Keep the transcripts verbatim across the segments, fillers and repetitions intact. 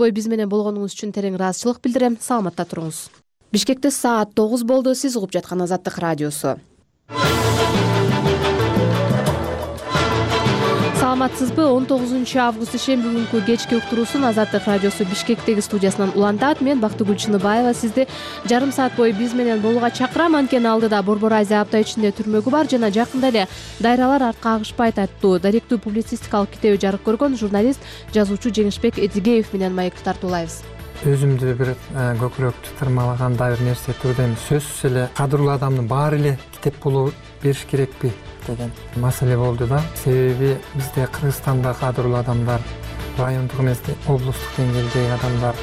бою биз менен болгонуңуз үчүн терең ыраазычылык билдирем. Саламатта туруңуз. Бишкекте саат тогуз болду. Сиз угуп жаткан Азаттык радиосу. Саламатсызбы? он тогузунчу август ишемби күнкү кечки уктуруусун Азаттык радиосу Бишкектеги студиясынан улантат. Мен Бактыгүл Чыныбаева сизди жарым саат бою биз менен болууга чакырам. Анткени алдыда Борбор Азия апта ичинде түрмөгү бар жана жакында эле дайралар артка агышпайт аттуу даректүү публицистикалык китеби жарык көргөн журналист, жазуучу Жеңишбек Эдигеев менен маекти тартуулайбыз. Өзүмдү бир көкүрөктү тырмалагандай бир нерсе турдайм. Сөзсүз эле кадырлуу адамдын баары эле китеп болуп бериш керекпи деген маселе болду да. Себеби бизде Кыргызстанда кадырлуу адамдар, райондук эмес облустук деңгээлдеги адамдар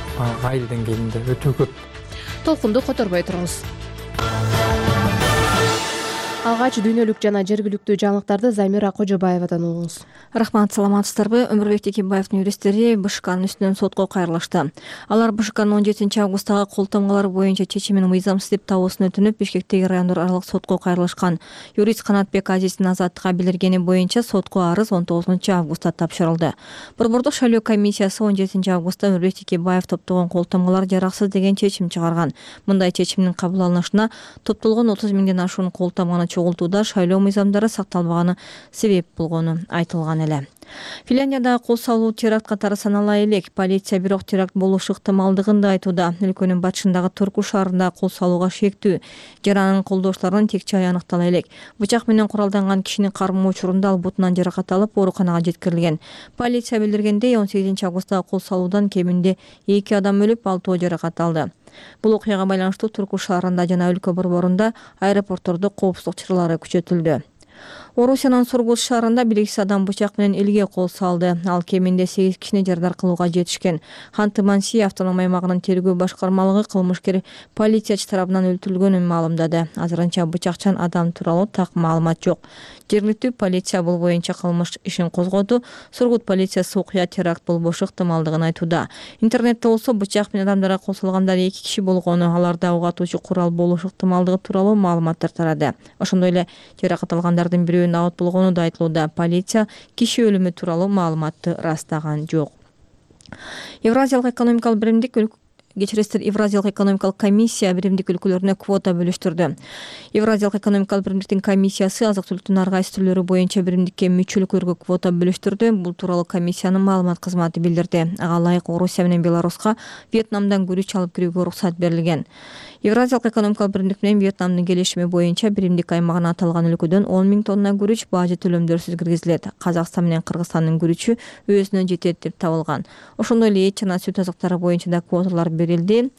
айыл деңгээлинде өтө көп. Толкунду которбой туруңуз. Алгач дүйнөлүк жана жергиликтүү жаңылыктарды Замира Кожобаевадан угуңуз. Рахмат, саламатсыздарбы? Өмүрбек Текебаевдин юристтери БШКнын үстүнөн сотко кайрылышты. Алар БШКнын он жетинчи августтагы кол тамгалар боюнча чечимин мыйзамсыз деп табуусун өтүнүп, Бишкектеги райондор аралык сотко кайрылышкан. Юрист Канатбек Азиздин азаттыкка билдиргени боюнча сотко арыз он тогузунчу августта тапшырылды. Борбордук шайлоо комиссиясы он жетинчи августта Өмүрбек Текебаев топтогон кол тамгалар жараксыз деген чечим чыгарган. Мындай чечимдин кабыл алынышына топтолгон отуз миңден ашуун кол тамганы чогултууда шайлоо мыйзамдары сакталбаганы себеп болгону айтылган эле. Финляндияда кол салуу теракт катары санала элек. Полиция бирок теракт болушу ыктымалдыгын да айтууда. Өлкөнүн батышындагы Турку шаарында кол салууга шектүү жана анын колдоочуларынын тек жайы аныктала элек. Бычак менен куралданган кишинин кармоо учурунда ал бутунан жаракат алып ооруканага жеткирилген. Полиция билдиргендей, он сегизинчи августтагы кол салуудан кеминде эки адам өлүп, алтоо жаракат алды. Бул окуяга байланыштуу Турку шаарында жана өлкө борборунда аэропорттордо коопсуздук чаралары күчөтүлдү. Орусиянын Сургут шаарында белгисиз адам бычак менен элге кол салды. Ал кеминде сегиз кишини жардар кылууга жетишкен. Ханты-Мансийя автономия аймагынын тергөө башкармалыгы кылмышкер полициячы тарабынан өлтүрүлгөнүн маалымдады. Азырынча бычакчан адам тууралуу так маалымат жок. Жергиликтүү полиция бул боюнча кылмыш ишин козгоду. Сургут полициясы окуя теракт болбошу ыктымалдыгын айтууда. Интернетте болсо бычак менен адамдарга кол салгандар эки киши болгону, аларда ок атуучу курал болушу ыктымалдыгы тууралуу маалыматтар тарады. Ошондой эле жаракат алгандардын бирөөнүн абат болгону да айтылууда. Полиция киши өлүмү тууралуу маалыматты ырастаган жок. Евразиялык экономикалык биримдик Кечиресиздер, Евразиялык экономикалык комиссия биримдик өлкөлөрүнө квота бөлүштүрдү. Евразиялык экономикалык биримдиктин комиссиясы азык-түлүктүн ар кайсы түрлөрү боюнча биримдикке мүчөлүклөргө квота бөлүштүрдү. Бул тууралуу комиссиянын маалымат кызматы билдирди. Ага ылайык Орусия менен Беларуска Вьетнамдан күрүч алып кирүүгө уруксат берилген. Евразиялык экономикалык биримдик менен Вьетнамдын келишими боюнча биримдик аймагына аталган өлкөдөн он миң тонна күрүч бажы төлөмдөрсүз киргизилет. Казакстан менен Кыргызстандын күрүчү өзүнө жетет деп табылган. Ошондой эле эт жана сүт азыктары боюнча да квоталар берилди.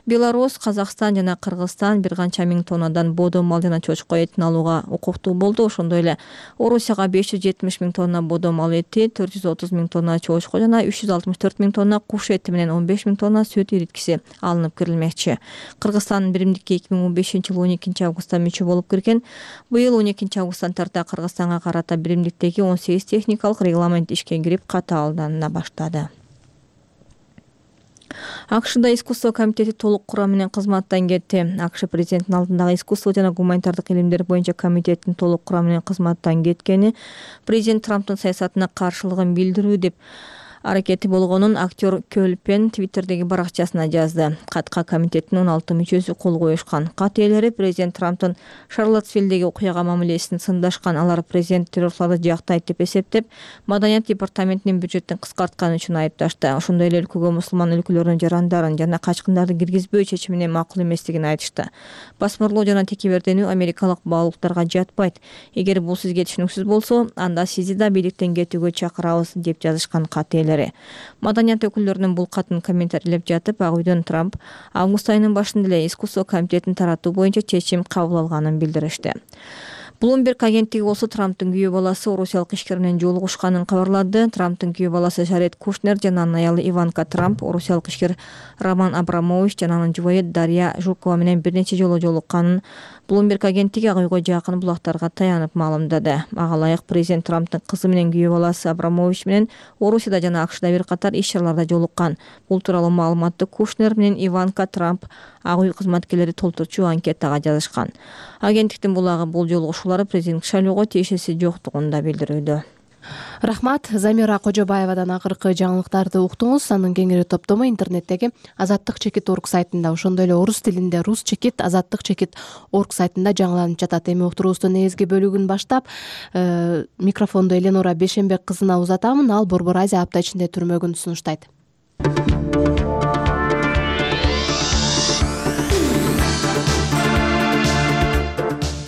Беларусь, Казакстан жана Кыргызстан бир канча миң тоннадан бодо мал жана чочко этин алууга укуктуу болду. Ошондой эле Орусияга беш жүз жетимиш миң тонна бодо мал эти, төрт жүз отуз миң тонна чочко жана үч жүз алтымыш төрт миң тонна куш эти менен он беш миң тонна сүт ириткиси алынып кирилмекчи. Кыргызстан биримдикке эки миң он бешинчи жылы он экинчи августта мүчө болуп кирген. Быйыл он экинчи августтан тарта Кыргызстанга карата биримдиктеги он сегиз техникалык регламент ишке кирип катаалдана баштады. АКШда искусство комитети толук курам менен кызматтан кетти. АКШ президентинин алдындагы искусство жана гуманитардык илимдер боюнча комитеттин толук курам менен кызматтан кеткени президент Трамптын саясатына каршылыгын билдирүү деп аракети болгонун актер Көл Пен Твиттердеги баракчасына жазды. Катка комитеттин он алты мүчөсү кол коюшкан. Кат ээлери президент Трамптын Шарлоттсвиллдеги окуяга мамилесин сындашкан. Алар президент террорлорду жактайт деп эсептеп, Маданият департаментинин бюджеттин кыскартканы үчүн айыпташты. Ошондой эле өлкөгө мусулман өлкөлөрдүн жарандарын жана качкындарды киргизбөө чечимине макул эместигин айтышты. Басмырлоо жана текеберденүү америкалык баалуулуктарга жатпайт. Эгер бул сизге түшүнүксүз болсо, анда сизди да бийликтен кетүүгө чакырабыз деп жазышкан кат ээлери. Маданият өкүлдөрүнүн бул катын комментарийлеп жатып, Ак үйдөн Трамп август айынын башында эле искусство комитетин таратуу боюнча чечим кабыл алганын билдиришти. Bloomberg агенттиги болсо Трамптын күйөө баласы орусиялык ишкер менен жолугушканын кабарлады. Трамптын күйөө баласы Жаред Кушнер жана анын аялы Иванка Трамп орусиялык ишкер Роман Абрамович жана анын жубайы Дарья Жукова менен бир нече жолу жолукканын Bloomberg агенттиги Ак үйгө жакын булактарга таянып маалымдады. Ага ылайык президент Трамптын кызы менен күйөө баласы Абрамович менен Орусияда жана АКШда бир катар иш-чараларда жолуккан. Бул тууралуу маалыматты Кушнер менен Иванка Трамп Ак үй кызматкерлери толтурчу анкетага жазышкан. Агенттиктин булагы бул жолугушуулары президенттик шайлоого тиешеси жоктугун да билдирүүдө. Рахмат. Замира Кожобаевадан акыркы жаңылыктарды уктуңуз. Анын кеңири топтому интернеттеги азаттык чекит орг сайтында, ошондой эле орус тилинде рус чекит азаттык чекит орг сайтында жаңыланып жатат. Эми уктуруубуздун негизги бөлүгүн баштап э, микрофонду Эленора Бешенбек кызына узатамын. Ал Борбор Азия апта ичинде түрмөгүн сунуштайт.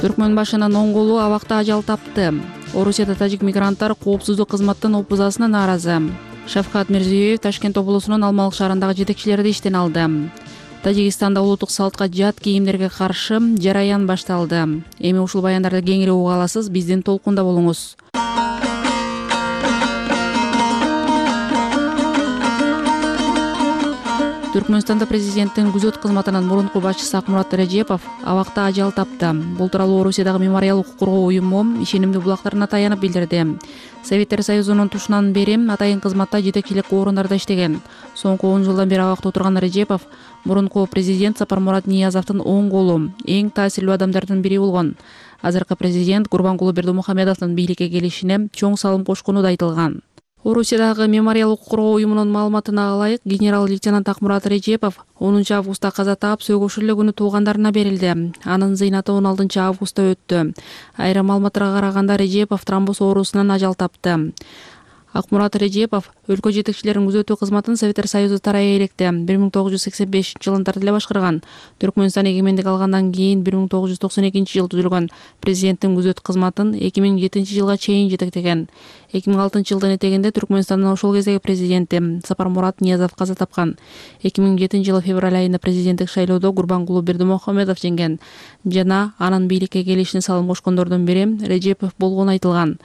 Түркмөн башынын оң колу абакта ажал тапты. Орусияда тажик мигранттар коопсуздук кызматтын опузасына нааразы. Шавкат Мирзиёев Ташкент облусунун Алмалык шаарындагы жетекчилерди иштен алды. Тажикстанда улуттук салтка жат кийимдерге каршы жараян башталды. Эми ушул баяндарды кеңири уга аласыз, биздин толкунда болуңуз. Түркмөнстанда президенттин күзөт кызматынын мурунку башчысы Акмурат Режепов абакта ажал тапты. Бул тууралуу Орусиядагы мемориал укук коргоо уюму ишенимдүү булактарына таянып билдирди. Советтер Союзунун тушунан бери атайын кызматта жетекчилик орундарда иштеген. Соңку он жылдан бери абакта отурган Режепов мурунку президент Сапармурат Ниязовдун оң колу, эң таасирлүү адамдардын бири болгон. Азыркы президент Гурбангулы Бердимухамедовдун бийликке келишине чоң салым кошкону да айтылган. Орусиядагы мемориал укук коргоо уюмунун маалыматына ылайык, генерал-лейтенант Акмурат Режепов онунчу августта каза таап, сөгүш эле күнү туугандарына берилди. Анын зыйнаты он алтынчы августта өттү. Айрым маалыматтарга караганда Режепов тромбоз оорусунан ажал тапты. Акмурат Режепов өлкө жетекчилеринин күзөтүү кызматын Советтер Союзу тарайы электе бир миң тогуз жүз сексен бешинчи жылында эле башкарган. Түркмөнстан эгемендик алгандан кийин бир миң тогуз жүз токсон экинчи жылы түзүлгөн президенттин күзөт кызматын эки миң жетинчи жылга чейин жетектеген. эки миң алтынчы жылдын этегинде Түркмөнстандын ошол кездеги президенти Сапармурат Ниязов каза тапкан. эки миң жетинчи жылы февраль айында президенттик шайлоодо Гурбангулы Бердимухамедов жеңген жана анын бийликке келишине салым кошкондордун бири Режепов болгону айтылган.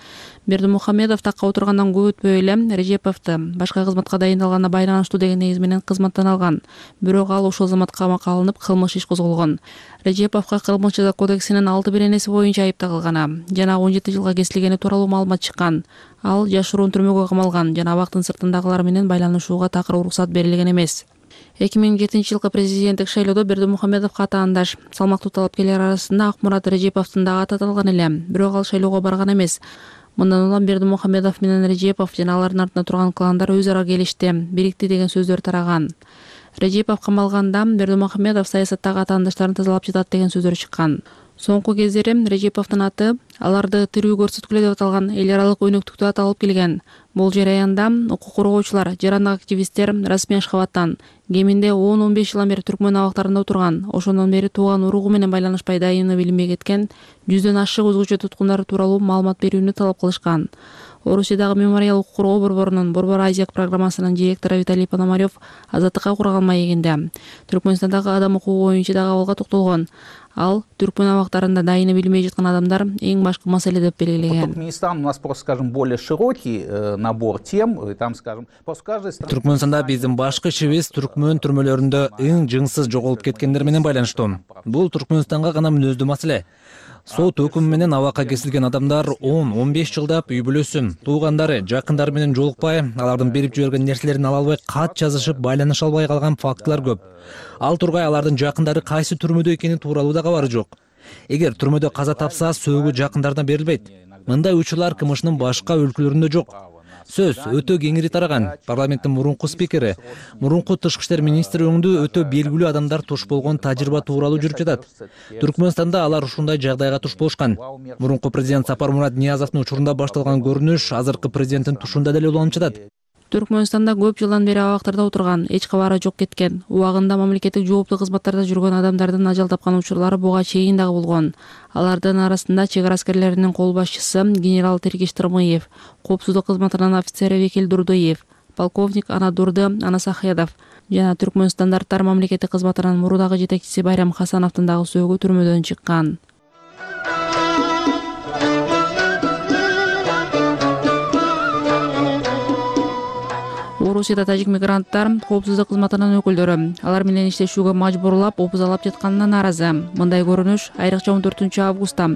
Бердимухамедов такка отургандан көп өтпөй эле Режеповду башка кызматка дайындалганына байланыштуу деген негиз менен кызматтан алган. Бирок ал ошол заматка камакка алынып, кылмыш иш козголгон. Режеповго Кылмыш жаза кодексинин алты беренеси боюнча айып тагылган жана он жети жылга кесилгени тууралуу маалымат чыккан. Ал жашыруун түрмөгө камалган жана абактын сыртындагылар менен байланышууга такыр уруксат берилген эмес. эки миң жетинчи жылкы президенттик шайлоодо Бердимухамедовго атаандаш салмактуу талапкерлер арасында Акмурат Режеповдун дагы аты аталган эле, бирок ал шайлоого барган эмес. Мындан улам Бердимухамедов менен Режепов жана алардын артында турган кландар өз ара келишти, бирикти деген сөздөр тараган. Режепов камалганда Бердимухамедов саясаттагы атаандаштарын тазалап жатат деген сөздөр чыккан. Соңку кездери Режеповдун аты аларды тирүү көрсөткүлө деп аталган эл аралык өнөктүктө аталып келген. Бул жараянда укук коргоочулар, жарандык активисттер расмий Ашхабадтан кеминде он он беш жылдан бери Түркмөн абактарында отурган, ошондон бери тууган уругу менен байланышпай дайыны билинбей кеткен жүздөн ашык өзгөчө туткундар тууралуу маалымат берүүнү талап кылышкан. Орусиядагы мемориал укук коргоо борборунун Борбор Азия программасынын директору Виталий Пономарев азаттыкка курган маегинде Түркмөнстандагы адам укугу боюнча дагы абалга токтолгон. Ал Түркмөн абактарында дайыны билбей жаткан адамдар эң башкы маселе деп белгилеген. Туркменистан у нас просто, скажем, более широкий набор тем, там, скажем, после каждой страны. Түркмөнстанда биздин башкы ишибиз Түркмөн түрмөлөрүндө эң жыңсыз жоголуп кеткендер менен байланыштуу. Бул Түркмөнстанга гана мүнөздүү маселе. Сот өкүмү менен абакка кесилген адамдар он он беш жылдап үй бүлөсү, туугандары, жакындары менен жолукпай, алардын берип жиберген нерселерин ала албай, кат жазышып, байланыша албай калган фактылар көп. Ал тургай алардын жакындары кайсы түрмөдө экени тууралуу да кабары жок. Эгер түрмөдө каза тапса, сөөгү жакындарына берилбейт. Мындай учурлар КМШнын башка өлкөлөрүндө жок. Сөз өтө кеңири тараган. Парламенттин мурунку спикери, мурунку тышкы иштер министри өңдүү өтө белгилүү адамдар туш болгон тажрыйба тууралуу жүрүп жатат. Түркмөнстанда алар ушундай жагдайга туш болушкан. Мурунку президент Сапармурат Ниязовдун учурунда башталган көрүнүш азыркы президенттин тушунда деле уланып жатат. Түркмөнстанда көп жылдан бери абактарда отурган, эч кабары жок кеткен, убагында мамлекеттик жооптуу кызматтарда жүргөн адамдардын ажал тапкан учурлары буга чейин дагы болгон. Алардын арасында чек ара аскерлеринин кол башчысы генерал Тергиш Тырмыев, коопсуздук кызматынын офицери Векил Дурдуев, полковник Анадурды Анасахедов жана Түркмөн стандарттар мамлекеттик кызматынын мурдагы жетекчиси Байрам Хасановдун дагы сөөгү түрмөдөн чыккан. Орусияда тажик мигранттар коопсуздук кызматынын өкүлдөрү алар менен иштешүүгө мажбурлап опузалап жатканына нааразы. Мындай көрүнүш айрыкча он төртүнчү августта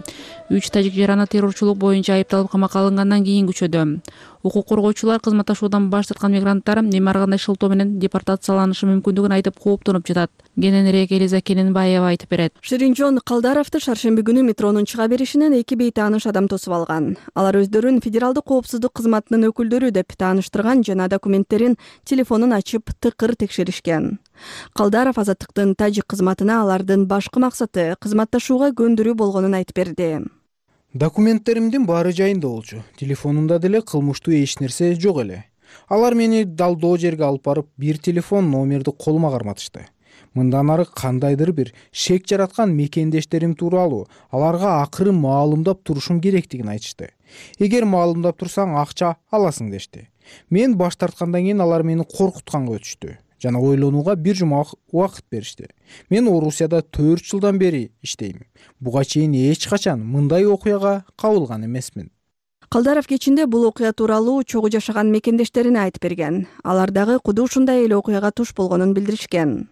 үч тажик жараны террорчулук боюнча айыпталып камакка алынгандан кийин күчөдү. Укук коргоочулар кызматташуудан баш тарткан мигранттар эми ар кандай шылтоо менен депортацияланышы мүмкүндүгүн айтып кооптонуп жатат. Кененирээк Элиза Кененбаева айтып берет. Ширинжон Калдаровду шаршемби күнү метронун чыга беришинен эки бейтааныш адам тосуп алган. Алар өздөрүн федералдык коопсуздук кызматынын өкүлдөрү деп тааныштырган жана документтерин, телефонун ачып тыкыр текшеришкен. Калдаров Азаттыктын тажик кызматына алардын башкы максаты кызматташууга көндүрүү болгонун айтып берди. Документтеримдин баары жайында болчу. Телефонумда деле кылмыштуу эч нерсе жок эле. Алар мени далдоо жерге алып барып, бир телефон номерди колума карматышты. Мындан ары кандайдыр бир шек жараткан мекендештерим тууралуу аларга акыры маалымдап турушум керектигин айтышты. Эгер маалымдап турсаң акча аласың дешти. Мен баш тарткандан кийин алар мени коркутканга өтүштү жана ойлонууга бир жума убакыт беришти. Мен Орусияда төрт жылдан бери иштейм. Буга чейин эч качан мындай окуяга кабылган эмесмин. Калдаров кечинде бул окуя тууралуу чогуу жашаган мекендештерине айтып берген. Алар дагы куду ушундай эле окуяга туш болгонун билдиришкен.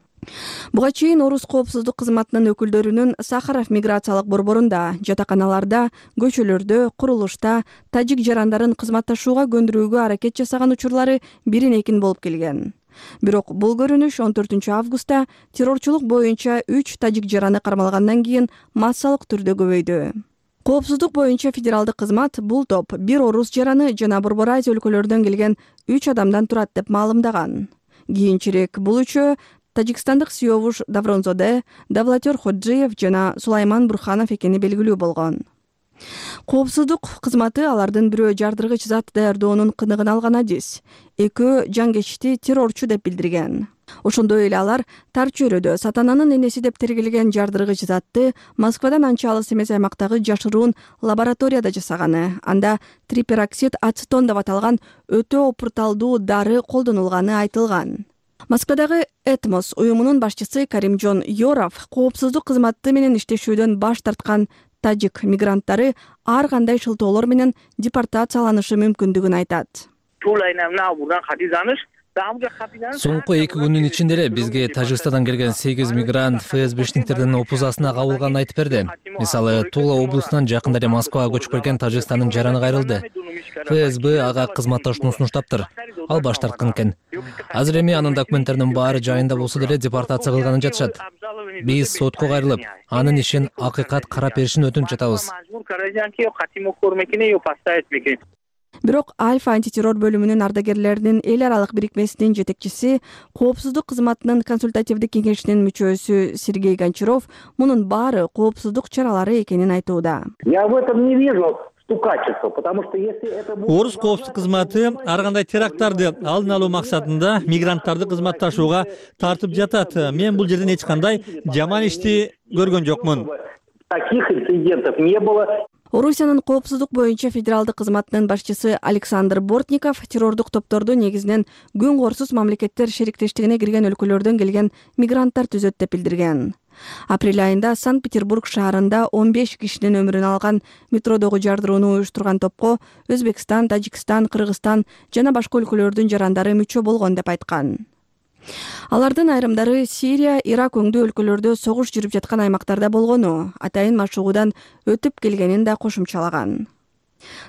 Буга чейин Орус коопсуздук кызматынын өкүлдөрүнүн Сахаров миграциялык борборунда, жатаканаларда, көчөлөрдө, курулушта тажик жарандарын кызматташууга көндүрүүгө аракет жасаган учурлары бирин экин болуп келген. Бирок бул көрүнүш он төртүнчү августта террорчулук боюнча үч тажик жараны кармалгандан кийин массалык түрдө көбөйдү. Коопсуздук боюнча федералдык кызмат бул топ бир орус жараны жана Борбор Азия өлкөлөрүнөн келген үч адамдан турат деп маалымдаган. Кийинчерээк бул үчөө тажикстандык Сиёвуш Давронзоде, Давлатер Ходжиев жана Сулайман Бурханов экени белгилүү болгон. Коопсуздук кызматы алардын бирөө жардыргыч зат даярдоонун кыныгын алган адис, экөө жангечти террорчу деп билдирген. Ошондой эле алар тар чөйрөдө сатананын энеси деп тергелген жардыргыч затты Москвадан анча алыс эмес аймактагы жашыруун лабораторияда жасаганы, анда трипероксид ацетон деп аталган өтө опурталдуу дары колдонулганы айтылган. Москвадагы Этмос уюмунун башчысы Каримжон Йоров коопсуздук кызматы менен иштешүүдөн баш тарткан тажик мигранттары ар кандай шылтоолор менен депортацияланышы мүмкүндүгүн айтат. Соңку эки күндүн ичинде эле бизге Тажикстандан келген сегиз мигрант ФСБшниктердин опузасына кабылганын айтып берди. Мисалы, Тула облусунан жакында эле Москвага көчүп келген Тажикстандын жараны кайрылды. ФСБ ага кызматташууну сунуштаптыр. Ал баш тарткан экен. Азыр эми анын документтеринин баары жайында болсо деле депортация кылганын жатышат. Биз сотко кайрылып, анын ишин акыйкат карап беришин өтүнүп жатабыз. Бирок Альфа антитеррор бөлүмүнүн ардагерлеринин эл аралык бирикмесинин жетекчиси, коопсуздук кызматынын консультативдик кеңешинин мүчөсү Сергей Гончаров мунун баары коопсуздук чаралары экенин айтууда. Я в этом не вижу стукачества, потому что если это будет... Орус коопсуздук кызматы ар кандай теракттарды алдын алуу максатында мигранттарды кызматташууга тартып жатат. Мен бул жерден эч кандай жаман ишти көргөн жокмун. Таких инцидентов не было. Орусиянын коопсуздук боюнча федералдык кызматынын башчысы Александр Бортников террордук топторду негизинен күн корсуз мамлекеттер шериктештигине кирген өлкөлөрдөн келген мигранттар түзөт деп билдирген. Апрель айында Санкт-Петербург шаарында он беш кишинин өмүрүн алган метродогу жардырууну уюштурган топко Өзбекстан, Тажикстан, Кыргызстан жана башка өлкөлөрдүн жарандары мүчө болгон деп айткан. Алардын айрымдары Сирия, Ирак өңдүү өлкөлөрдө согуш жүрүп жаткан аймактарда болгону, атайын машыгуудан өтүп келгенин да кошумчалаган.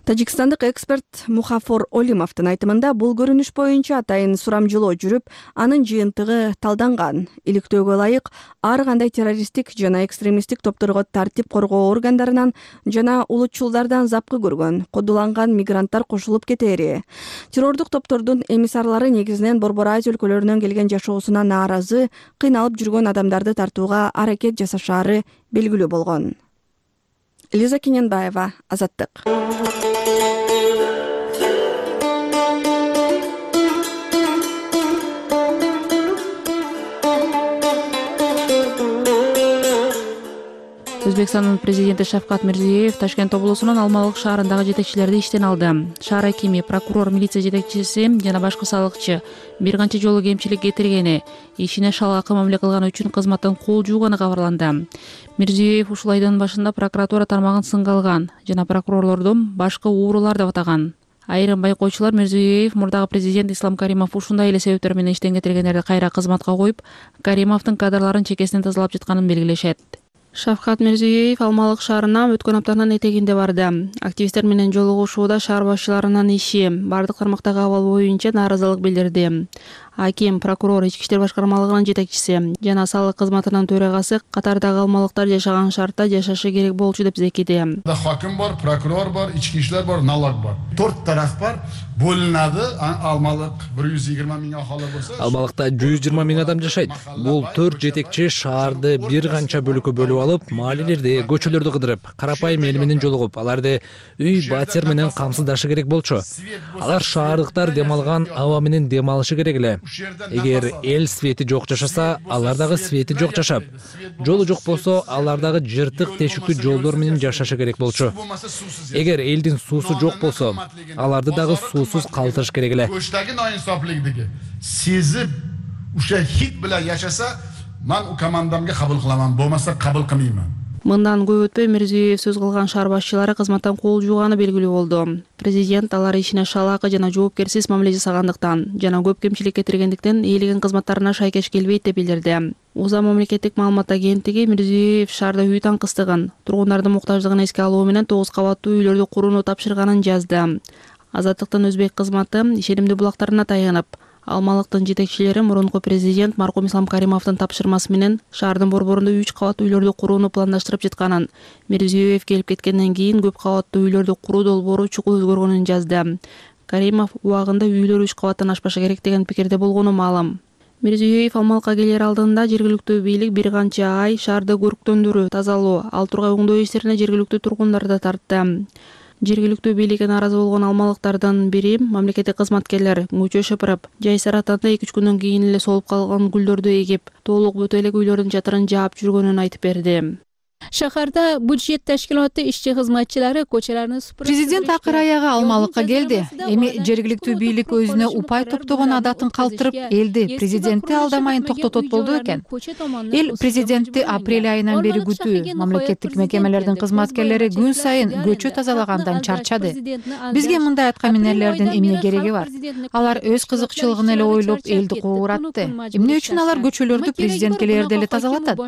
Тажикстандык эксперт Мухафор Олимовдун айтымында бул көрүнүш боюнча атайын сурамжылоо жүрүп, анын жыйынтыгы талданган. Иликтөөгө ылайык ар кандай террористтик жана экстремисттик топторго тартип коргоо органдарынан жана улутчулдардан запкы көргөн, кодуланган мигранттар кошулуп кетери. Террордук топтордун эмиссарлары негизинен Борбор Азия өлкөлөрүнөн келген жашоосуна нааразы, кыйналып жүргөн адамдарды тартууга аракет жасашаары белгилүү болгон. Элиза Кененбаева, Азаттык. Өзбекстандын президенти Шавкат Мирзиёев Ташкент облусунун Алмалык шаарындагы жетекчилерди иштен алды. Шаар акими, прокурор, милиция жетекчиси жана башкы салыкчы бир канча жолу кемчилик кетиргени, ишине шал акы мамиле кылганы үчүн кызматтан кол жууганы кабарланды. Мирзиёев ушул айдын башында прокуратура тармагын сынга алган жана прокурорлорду башкы уурулар деп атаган. Айрым байкоочулар Мирзиёев мурдагы президент Ислам Каримов ушундай эле себептер менен иштен кетиргендерди кайра кызматка коюп, Каримовдун кадрларын чекесинен тазалап жатканын белгилешет. Шавкат Мирзиёев Алмалык шаарына өткөн аптанын этегинде барды. Активисттер менен жолугушууда шаар башчыларынын иши, бардык тармактагы абал боюнча нааразылык билдирди. Аким, прокурор, ички иштер башкармалыгынын жетекчиси жана салык кызматынын төрагасы катардагы алмалыктар жашаган шартта жашашы керек болчу деп зекиди. Хаким бар, прокурор бар, ички иштер бар, налог бар. төрт тараф бар. Бөлүнөдү. Алмалык бир жүз жыйырма миң ахалы болсо, Алмалыкта жүз жыйырма миң адам жашайт. Бул төрт жетекчи шаарды бир канча бөлүккө бөлүп алып, маалилерди, көчөлөрдү кыдырып, карапайым эл менен жолугуп, аларды үй батер менен камсыздашы керек болчу. Алар шаардыктар дем алган аба менен дем алышы керек эле. Эгер эл свети жок жашаса, алар дагы свети жок жашап, жолу жок болсо, алар дагы жыртык тешиктүү жолдор менен жашашы керек болчу. Эгер элдин суусу жок болсо, аларды дагы суусуз калтырыш керек эле. Көчтөгү ноинсофликдиги сезип, ушо хит менен жашаса, мен у командамга кабыл кыламан, болмаса кабыл кылмайман. Мындан көп өтпөй Мирзиёев сөз кылган шаар башчылары кызматтан кол жууганы белгилүү болду. Президент алар ишине шалаакы жана жоопкерсиз мамиле жасагандыктан жана көп кемчилик кетиргендиктен ээлеген кызматтарына шайкеш келбейт деп билдирди. УЗА мамлекеттик маалымат агенттиги Мирзиёев шаарда үй таңкыстыгын, тургундардын муктаждыгын эске алуу менен тогуз кабаттуу үйлөрдү курууну тапшырганын жазды. Азаттыктын өзбек кызматы ишенимдүү булактарына таянып, Алмалыктын жетекчилери мурунку президент маркум Ислам Каримовдун тапшырмасы менен шаардын борборунда үч кабаттуу үйлөрдү курууну пландаштырып жатканын, Мирзиёев келип кеткенден кийин көп кабаттуу үйлөрдү куруу долбоору чукул өзгөргөнүн жазды. Каримов убагында үйлөр үч кабаттан ашпашы керек деген пикирде болгону маалым. Мирзиёев Алмалыкка келер алдында жергиликтүү бийлик бир канча ай шаарды көрктөндүрүү, тазалоо, ал тургай оңдоо иштерине жергиликтүү тургундарды тартты. Жергиликтүү бийликке нааразы болгон алмалыктардын бири мамлекеттик кызматкерлер көчө шыпырып, жайсыр атанда эки үч күндөн кийин эле солуп калган гүлдөрдү эгип, толук бүтө элек үйлөрдүн чатырын жаап жүргөнүн айтып берди. Шаарда бюджет ташкилаты ишчи кызматчылары көчөлөрүн супуруп, президент акыр аягы Алмалыкка келди. Эми жергиликтүү бийлик өзүнө упай топтогон адатын калтырып, элди президентти алдамайын токтотот болду экен. Эл президентти апрель айынан бери күтүү, мамлекеттик мекемелердин кызматкерлери күн сайын көчө тазалагандан чарчады. Бизге мындай аткаминерлердин эмне кереги бар? Алар өз кызыкчылыгын эле ойлоп элди кууратты. Эмне үчүн алар көчөлөрдү президент келерде эле тазалатат?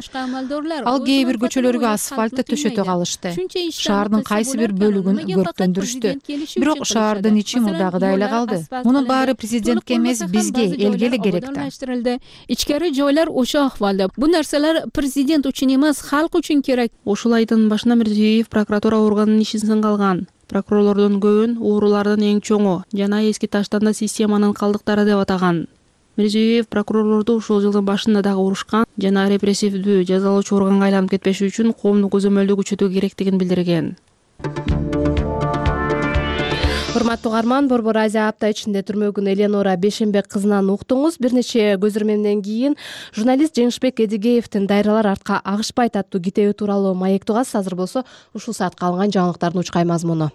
Ал кээ бир көчөлөргө асфальтты төшөтө калышты. Шаардын кайсы бир бөлүгүн көрктөндүрүштү. Бирок шаардын ичи мурдагыдай эле калды. Мунун баары президентке эмес, бизге, элге эле керек да. Ичкери жойлар ошо акыбалда. Бул нерселер президент үчүн эмес, халк үчүн керек. Ушул айдын башында Мирзиёев прокуратура органынын ишин сынга алган. Прокурорлордун көбүн уурулардын эң чоңу жана эски таштанда системанын калдыктары деп атаган. Мирзиёев прокурорлорду ушул жылдын башында дагы урушкан жана репрессивдүү жазалоочу органга айланып кетпеш үчүн коомдук көзөмөлдү күчөтүү керектигин билдирген. Урматтуу угарман, Борбор Азия апта ичинде түрмөгүн Эленора Бешенбек кызынан уктуңуз. Бир нече көз ирмемден кийин журналист Жеңишбек Эдигеевдин «Дайралар артка агышпайт» аттуу китеби тууралуу маек тугасыз. Азыр болсо ушул саатка алынган жаңылыктардын учкай мазмуну.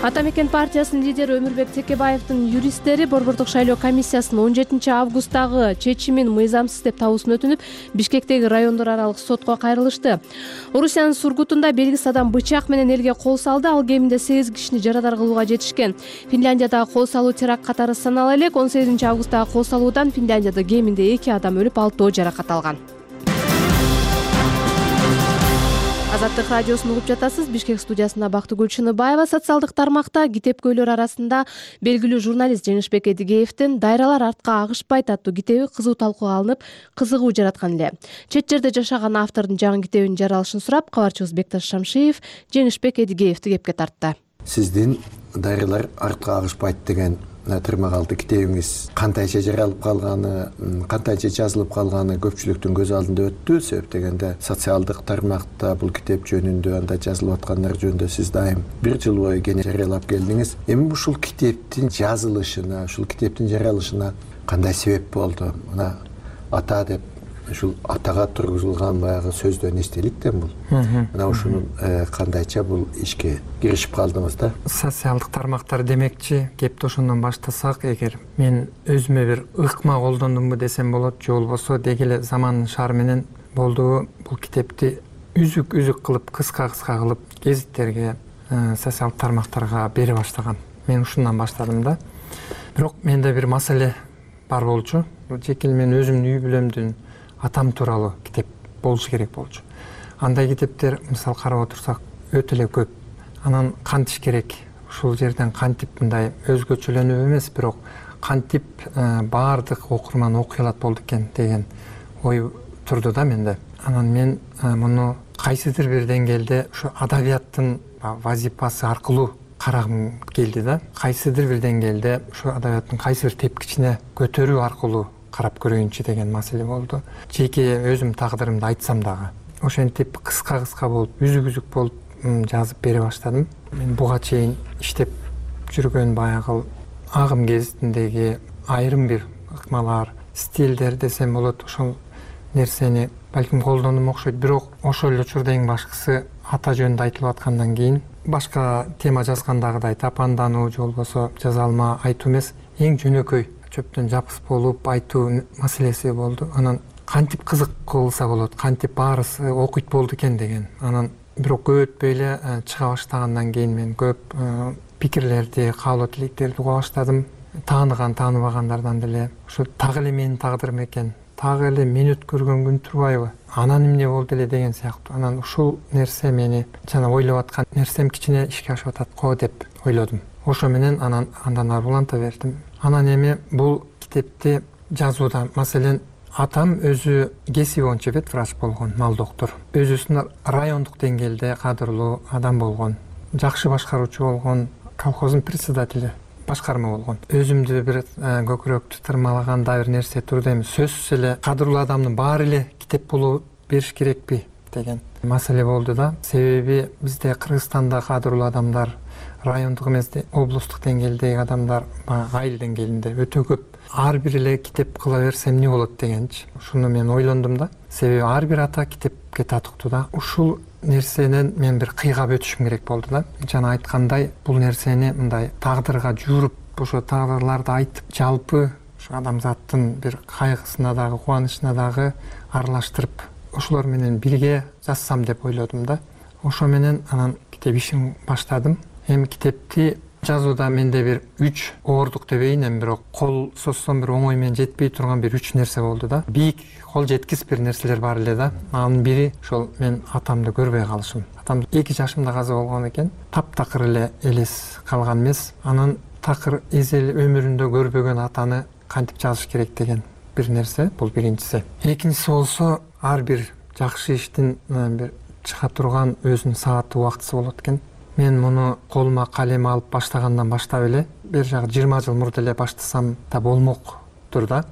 Ата мекен партиясынын лидери Өмүрбек Текебаевдин юристтери Борбордук шайлоо комиссиясынын он жетинчи августтагы чечимин мыйзамсыз деп табуусун өтүнүп, Бишкектеги райондор аралык сотко кайрылышты. Орусиянын Сургутунда белгисиз адам бычак менен элге кол салды. Ал кеминде сегиз кишини жарадар кылууга жетишкен. Финляндиядагы кол салуу теракт катары санала элек. он сегизинчи августтагы кол салуудан Финляндияда кеминде эки адам өлүп, алтоо жаракат алган. Азаттык радиосун угуп жатасыз. Бишкек студиясында Бактыгүл Чыныбаева. Социалдык тармакта китепкөйлөр арасында белгилүү журналист Жеңишбек Эдигеевдин «Дайралар артка агышпайт» аттуу китеби кызуу талкууга алынып, кызыгуу жараткан эле. Чет жерде жашаган автордун жаңы китебинин жаралышын сурап, кабарчыбыз Бекташ Шамшиев Жеңишбек Эдигеевди кепке тартты. Сиздин «Дайралар артка агышпайт» деген тырмагалды китебиңиз кантайча жаралып калганы, кантайча жазылып калганы көпчүлүктүн көз алдында өттү. Себеп дегенде социалдык тармакта бул китеп жөнүндө, анда жазылып аткандар жөнүндө сиз дайым бир жыл бою кене жарыялап келдиңиз. Эми ушул китептин жазылышына, ушул китептин жаралышына кандай себеп болду? Мына ата деп ушул атага тургузулган баягы сөздөн эстеликтен бул. Мына ушуну кандайча бул ишке киришип калдыңыз да? Социалдык тармактар демекчи, кепти ошондон баштасак, эгер мен өзүмө бир ыкма колдондумбу десем болот, же болбосо деги эле замандын шаары менен болду бул китепти үзүк-үзүк кылып, кыска-кыска кылып гезиттерге, социалдык тармактарга бере баштаган. Мен ушундан баштадым да. Бирок менде бир маселе бар болчу. Жеке мен өзүмдүн үй бүлөмдүн атам тууралуу китеп болушу керек болчу. Андай китептер мисалы карап отурсак өтө эле көп. Анан кантиш керек? Ушул жерден кантип мындай өзгөчөлөнүп эмес, бирок кантип баардык окурман окуй алат болду экен деген ой турду да менде. Анан мен муну кайсыдыр бир деңгээлде ушу адабияттын вазипасы аркылуу карагым келди да. Кайсыдыр бир деңгээлде ушу адабияттын кайсы бир тепкичине көтөрүү аркылуу карап көрөйүнчү деген маселе болду. Жеке өзүм тагдырымды айтсам дагы ошентип кыска-кыска болуп, үзүк-үзүк болуп жазып бере баштадым. Мен буга чейин иштеп жүргөн баягы агым гезитиндеги айрым бир ыкмалар, стилдер десем болот, ошол нерсени балким колдондум окшойт. Бирок ошол эле учурда эң башкысы ата жөнүндө айтылып аткандан кийин башка тема жазгандагыдай тапандануу же болбосо жаза алма айтуу эмес, эң жөнөкөй чөптөн жапыс болуп айтуу маселеси болду. Анан кантип кызык кылса болот, кантип баарысы окуйт болду экен деген. Анан бирок көп өтпөй эле чыга баштагандан кийин мен көп пикирлерди, каалоо тилектерди уга баштадым. Тааныган, тааныбагандардан деле ушу так эле менин тагдырым экен, так эле мен өткөргөн күн турбайбы, анан эмне болду эле деген сыяктуу. Анан ушул нерсе мени жана ойлоп аткан нерсем кичине ишке ашып атат го деп ойлодум. Ошо менен анан андан ары уланта бердим. Анан эми бул китепти жазууда, маселен, атам өзү кесиби боюнча ветврач болгон, мал доктор. Өзүсүн райондук деңгээлде кадырлуу адам болгон, жакшы башкаруучу болгон, колхоздун председатели, башкарма болгон. Өзүмдү бир көкүрөктү тырмалаган да бир нерсе турду. Эми сөзсүз эле кадырлуу адамдын баары эле китеп болуп бериш керекпи деген маселе болду да. Себеби бизде Кыргызстанда кадырлуу адамдар райондук эмес, облустук деңгээлдеги адамдар айыл деңгээлинде өтө көп. Ар бир эле китеп кыла берсем эмне болот дегенчи. Ушуну мен ойлондум да. Себеби ар бир ата китепке татыктуу да. Ушул нерсенен мен бир кыйгап өтүшүм керек болду да. Жана айткандай, бул нерсени мындай тагдырга жууруп, ошо тагдырларды айтып, жалпы ушу адамзаттын бир кайгысына дагы, кубанычына дагы аралаштырып, ошолор менен бирге жазсам деп ойлодум да. Ошо менен анан китеп ишин баштадым. Эми китепти жазууда менде бир үч оордук дебейин, эми бирок кол созсом бир оңой менен жетпей турган бир үч нерсе болду да. Бийик, кол жеткис бир нерселер бар эле да. Анын бири ошол мен атамды көрбөй калышым. Атам эки жашымда каза болгон экен. Таптакыр эле элес калган эмес. Анан такыр эзел өмүрүндө көрбөгөн атаны кантип жазыш керек деген бир нерсе, бул биринчиси. Экинчиси болсо, ар бир жакшы иштин бир чыга турган өзүнүн сааты, убактысы болот экен. Мен муну колума калем алып баштагандан баштап эле, бир жагы жыйырма жыл мурда эле баштасам да болмоктур да.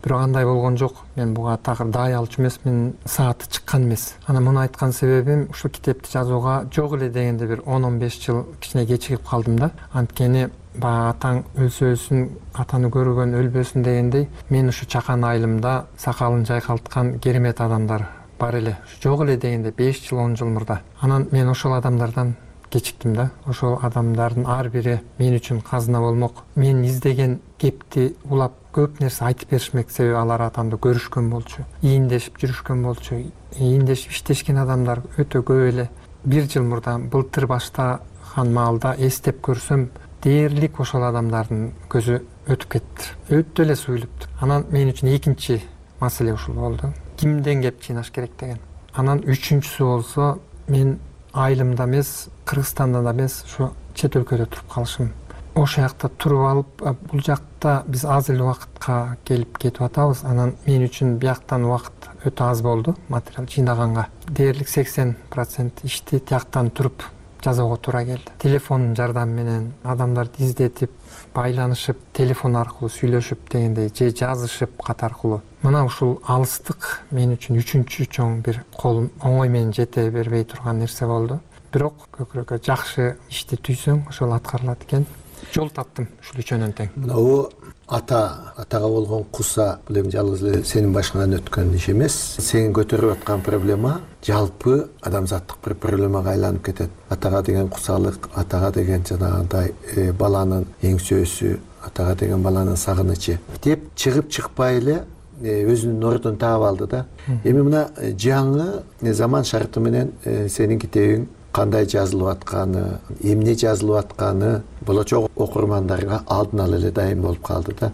Бирок андай болгон жок. Мен буга такыр даай алчу эмес, мен сааты чыккан эмес. Анан муну айткан себебим, ушул китепти жазууга жок эле дегенде бир он он беш жыл кичине кечигип калдым да. Анткени баягы атаң өлсө өлсүн, атаны көргөн өлбөсүн дегендей, мен ушу чакан айылымда сакалын жайкалткан керемет адамдар бар эле. Жок эле дегенде беш жыл он жыл мурда. Анан мен ошол адамдардан кечиктим да. Ошол адамдардын ар бири мен үчүн казына болмок. Мен издеген кепти улап көп нерсе айтып беришмек, себеби алар атамды көрүшкөн болчу, ийиндешип жүрүшкөн болчу. Ийиндешип иштешкен адамдар өтө көп эле. Бир жыл мурда былтыр баштаган маалда эстеп көрсөм, дээрлик ошол адамдардын көзү өтүп кетти. Өтө эле суюлупту. Анан мен үчүн экинчи маселе ушул болду. Кимден кеп жыйнаш керек деген. Анан үчүнчүсү болсо, мен айылымда эмес, Кыргызстанда да эмес, ушу чет өлкөдө туруп калышым. Ошол жакта туруп алып, бул жакта биз аз эле убакытка келип кетип атабыз. Анан мен үчүн бияктан убакыт өтө аз болду материал жыйнаганга. Дээрлик сексен процент ишти тияктан туруп жазууга туура келди. Телефондун жардамы менен адамдарды издетип, байланышып, телефон аркылуу сүйлөшүп дегендей, же жазышып кат аркылуу. Мына ушул алыстык мен үчүн үчүнчү чоң бир кол оңой менен жете бербей турган нерсе болду. Бирок көкүрөккө жакшы ишти түйсөң, ошол аткарылат экен. Жол таптым ушул үчөөнөн тең. Мынабу ата, атага болгон куса, бул эми жалгыз эле сенин башыңан өткөн иш эмес. Сен көтөрүп аткан проблема жалпы адамзаттык бир проблемага айланып кетет. Атага деген кусалык, атага деген жанагындай баланын эң сөөсү, атага деген баланын сагынычы деп чыгып чыкпай эле өзүнүн ордун таап алды да. Эми мына жаңы заман шарты менен сенин китебиң кандай жазылып атканы, эмне жазылып атканы болочок окурмандарга алдын ала эле дайым болуп калды да.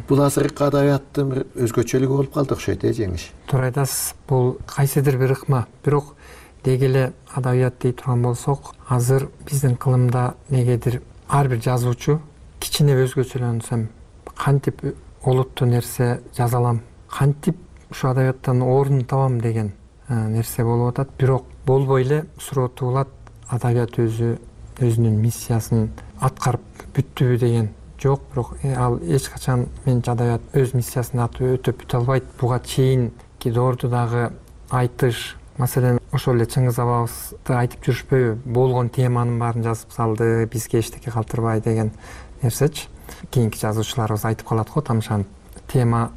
Бул азыркы адабияттын бир өзгөчөлүгү болуп калды окшойт э жеңиш. Туура айтасыз. Бул кайсыдыр бир ыкма. Бирок деги эле адабият дей турган болсок, азыр биздин кылымда негедир ар бир жазуучу кичине өзгөчөлөнсөм, кантип олуттуу нерсе жаза алам, кантип ушу адабияттан орун табам деген нерсе болуп атат. Бирок болбой эле суроо туулат, адабият өзү өзүнүн миссиясын аткарып бүттүбү деген жок. Бирок ал эч качан менчи адабият өз миссиясын өтөп бүтө албайт. Буга чейинки доорду дагы айтыш, маселен ошол эле Чыңгыз абабызды айтып жүрүшпөйбү, болгон теманын баарын жазып салды, бизге эчтеке калтырбай деген нерсечи. Кийинки жазуучуларыбыз айтып калат го, тамшанып. Тема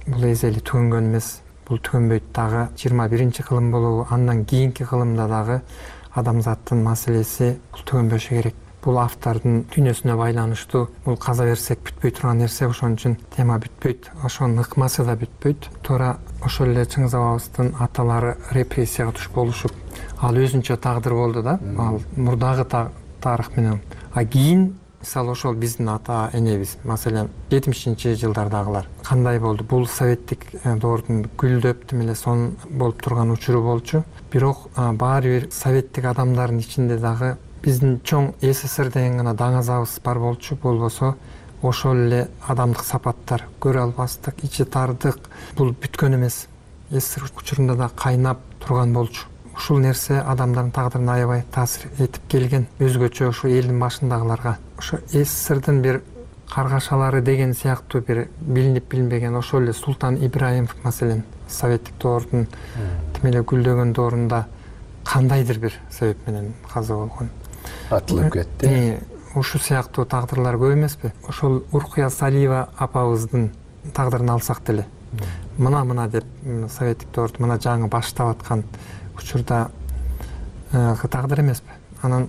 бул эзели түгөнгөн эмес, бул түгөнбөйт дагы. жыйырма биринчи кылым болобу, андан кийинки кылымда дагы адамзаттын маселеси бул түгөнбөшү керек. Бул автордун дүйнөсүнө байланыштуу, бул каза берсек бүтпөй турган нерсе, ошон үчүн тема бүтпөйт, ошонун ыкмасы да бүтпөйт. Туура ошол эле Чыңгыз абабыздын аталары репрессияга туш болушуп, ал өзүнчө тагдыр болду да, ал мурдагы тарых менен. А кийин мисалы ошол биздин ата энебиз, маселен жетимишинчи жылдардагылар кандай болду? Бул советтик доордун гүлдөп тим эле сон болуп турган учуру болчу. Бирок баары бир советтик адамдардын ичинде дагы биздин чоң СССР деген гана даңазабыз бар болчу. Болбосо ошол эле адамдык сапаттар, көрө албастык, ичи тардык, бул бүткөн эмес. СССР учурунда да кайнап турган болчу. Ушул нерсе адамдардын тагдырына аябай таасир этип келген. Өзгөчө ушу элдин башындагыларга. Ошо СССРдин бир каргашалары деген сыяктуу бир билинип билинбеген ошол эле Султан Ибраимов, маселен, советтик доордун тим эле гүлдөгөн доорунда кандайдыр бир себеп менен каза болгон. Атылып кетти. Ушу сыяктуу тагдырлар көп эмеспи? Ошол Уркуя Салиева апабыздын тагдырын алсак деле, мына-мына деп советтик доорду мына жаңы баштап аткан учурда тагдыр эмеспи? Анан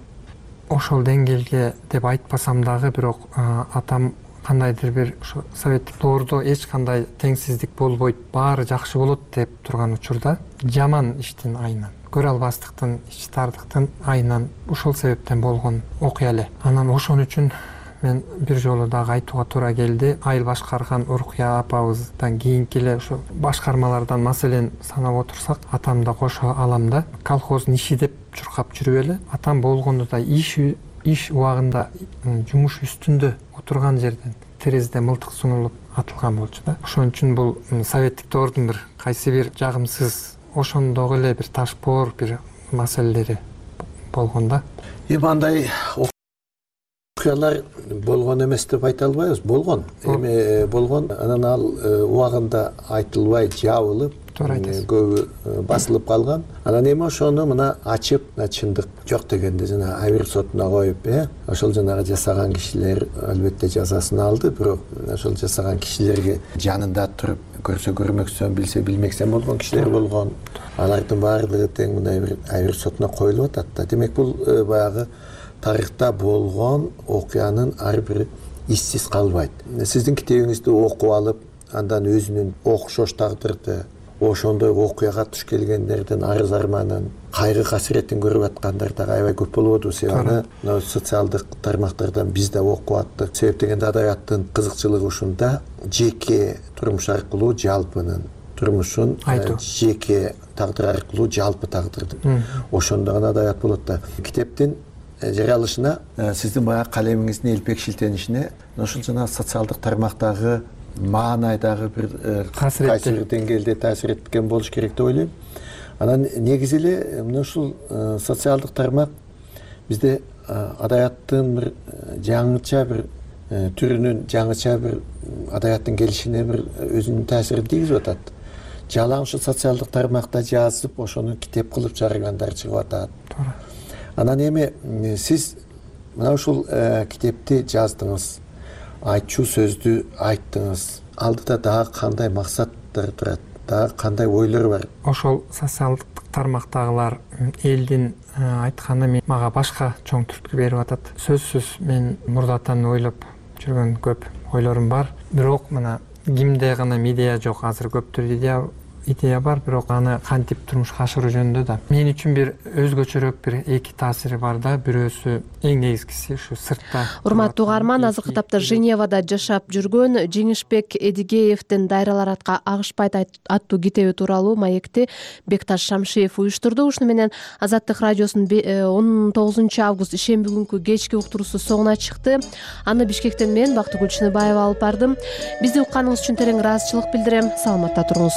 ошол деңгээлге деп айтпасам дагы, бирок атам кандайдыр бир ушу советтик доордо эч кандай теңсиздик болбойт, баары жакшы болот деп турган учурда жаман иштин айынан, көрө албастыктын, ичи тардыктын айынан ушул себептен болгон окуя эле. Анан ошон үчүн мен бир жолу дагы айтууга туура келди. Айыл башкарган Уркуя апабыздан кийинки эле ушу башкармалардан маселен санап отурсак, атам да кошо алам да, колхоздун иши деп чуркап жүрүп эле, атам болгондо да иш иш убагында жумуш үстүндө отурган жерден терезеде мылтык сунулуп атылган болчу да. Ошон үчүн бул советтик доордун бир кайсы бир жагымсыз, ошондогу эле бир ташпоор бир маселелери болгон да. Эми андай окуялар болгон эмес деп айта албайбыз, болгон. Эми болгон, анан ал убагында айтылбай жабылып, көбү басылып калган. Анан эми ошону мына ачып, чындык жок дегенде жана Абир сотуна коюп, э, ошол жанагы жасаган кишилер албетте жазасын алды, бирок ошол жасаган кишилерге жанында туруп көрсө көрмөксөн, билсе билмексен болгон кишилер болгон. Алардын баардыгы тең мындай бир Абир сотуна коюлуп атат да. Демек бул баягы тарыхта болгон окуянын ар бири иссиз калбайт. Сиздин китебиңизди окуп алып, андан өзүнүн окшош тагдырды, ошондой окуяга туш келгендердин арыз арманын, кайгы касиретин көрүп аткандар дагы аябай көп болуп атат. Себеби социалдык тармактардан биз да окуп аттык. Себеп дегенде адабияттын кызыкчылыгы ушунда, жеке турмуш аркылуу жалпынын турмушун, жеке тагдыр аркылуу жалпы тагдырды. Ошондо гана адабият болот да. Китептин жарыялышына, сиздин баягы калемиңиздин элпек шилтенишине ошол жана социалдык тармактагы маанайдагы бир кайсы бир деңгээлде таасир эткен болуш керек деп ойлойм. Анан негизи эле мына ушул социалдык тармак бизде адабияттын бир жаңыча бир түрүнүн, жаңыча бир адабияттын келишине бир өзүнүн таасирин тийгизип атат. Жалаң ушул социалдык тармакта жазып, ошону китеп кылып чыгаргандар чыгып атат. Анан эми сиз мына ушул китепти жаздыңыз, айтчу сөздү айттыңыз. Алдыда дагы кандай максаттар турат, дагы кандай ойлор бар? Ошол социалдык тармактагылар элдин айтканы мага башка чоң түрткү берип атат. Сөзсүз мен мурдатан ойлоп жүргөн көп ойлорум бар. Бирок мына кимде гана идея жок, азыр көптөр идея идея бар, бирок аны кантип турмушка ашыруу жөнүндө да мен үчүн бир өзгөчөрөөк бир эки таасири бар да. Бирөөсү эң негизгиси ушу сыртта. Урматтуу угарман, азыркы тапта Женевада жашап жүргөн Жеңишбек Эдигеевдин «Дайралар атка агышпайт» аттуу китеби тууралуу маекти Бекташ Шамшиев уюштурду. Ушуну менен Азаттык радиосунун он тогузунчу август ишемби күнкү кечки уктуруусу соңуна чыкты. Аны Бишкектен мен Бактыгүл Чыныбаева алып бардым. Бизди укканыңыз үчүн терең ыраазычылык билдирем. Саламатта туруңуз.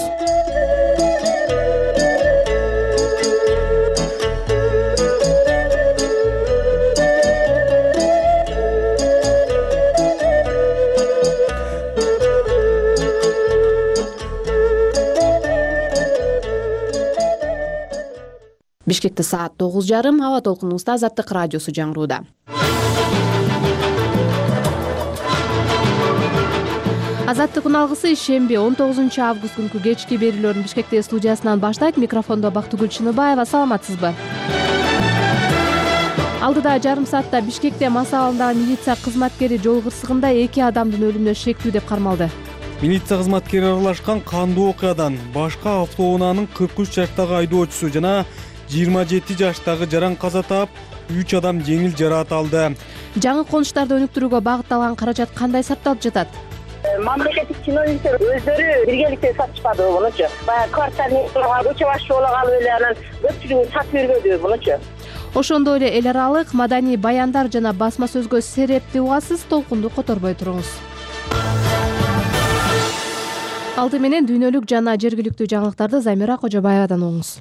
Бишкекте саат тогуз жарым. Аба толкунубузда Азаттык радиосу жаңырууда. Азаттык үналгысы ишемби он тогузунчу август күнкү кечки берүүлөрүн Бишкекте студиясынан баштайт. Микрофондо Бактыгүл Чыныбаева. Саламатсызбы? Алдыда жарым саатта Бишкекте мас абалындагы милиция кызматкери жол кырсыгында эки адамдын өлүмүнө шектүү деп кармалды. Милиция кызматкери аралашкан кандуу окуядан башка автоунаанын кырк үч жаштагы айдоочусу жана жыйырма жети жаштагы жаран каза таап, үч адам жеңил жараат алды. Жаңы конуштарды өнүктүрүүгө багытталган каражат кандай сарпталып жатат? Мамлекеттик чиновниктер өздөрү биргеликте сатышпады мунучу. Баягы квартирага көчө башчы боло калып эле анан көпчүлүгүн сатып бербеди мунучу. Ошондой эле эл аралык маданий баяндар жана басма сөзгө серепти угасыз. Толкунду которбой туруңуз. Алды менен дүйнөлүк жана жергиликтүү жаңылыктарды Замира Кожобаевадан угуңуз.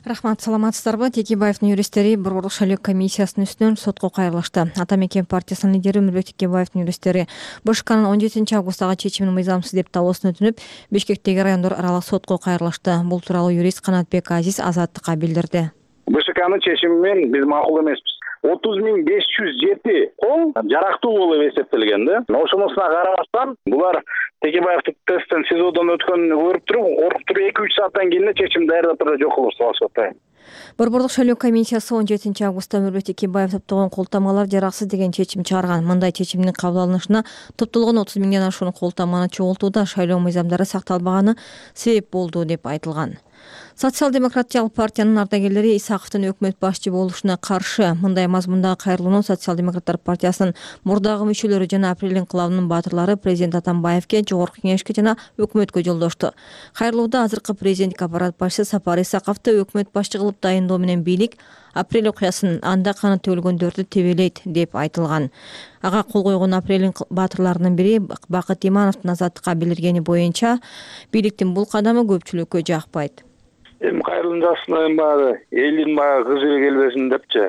Рахмат, саламатсыздарбы? Текебаевдин юристтери Борборлук шайлоо комиссиясынын үстүнөн сотко кайрылышты. Ата мекен партиясынын лидери Өмүрбек Текебаевдин юристтери БШКнын он жетинчи августтагы чечимин мыйзамсыз деп табууусун өтүнүп, Бишкектеги райондор аралык сотко кайрылышты. Бул тууралуу юрист Канатбек Азиз Азаттыкка билдирди. БШКнын чечими менен биз макул эмеспиз. отуз миң беш жүз жети кол жарактуу болуп эсептелген да. Ошонусуна карабастан булар Текебаевдин тесттен СИЗОдон өткөнүн көрүп туруп, коркуп туруп эки үч сааттан кийин чечим даярдап туруп жок кылып салышат. Борборлук шайлоо комиссиясы он жетинчи августта Өмүрбек Текебаев топтогон колтамгалар жараксыз деген чечим чыгарган. Мындай чечимдин кабыл алынышына топтолгон отуз миңден ашуун колтамганы чогултууда шайлоо мыйзамдары сакталбаганы себеп болду деп айтылган. Социал-демократиялык партиянын ардагерлери Исаковдун өкмөт башчы болушуна каршы. Мындай мазмундагы кайрылууну Социал-демократтар партиясынын мурдагы мүчөлөрү жана Апрель инкылабынын баатырлары президент Атамбаевке, Жогорку кеңешке жана өкмөткө жолдошту. Кайрылууда азыркы президенттик аппарат башчысы Сапар Исаковду өкмөт башчы кылып дайындоо менен бийлик Апрель окуясын анда каны төгүлгөндөрдү тебелейт деп айтылган. Ага кол койгон Апрель баатырларынын бири Бакыт Имановдун Азаттыкка билдиргени боюнча бийликтин бул кадамы көпчүлүккө жакпайт. Эми кайрылым жасына эми баягы элдин баягы кызы келбесин депчи.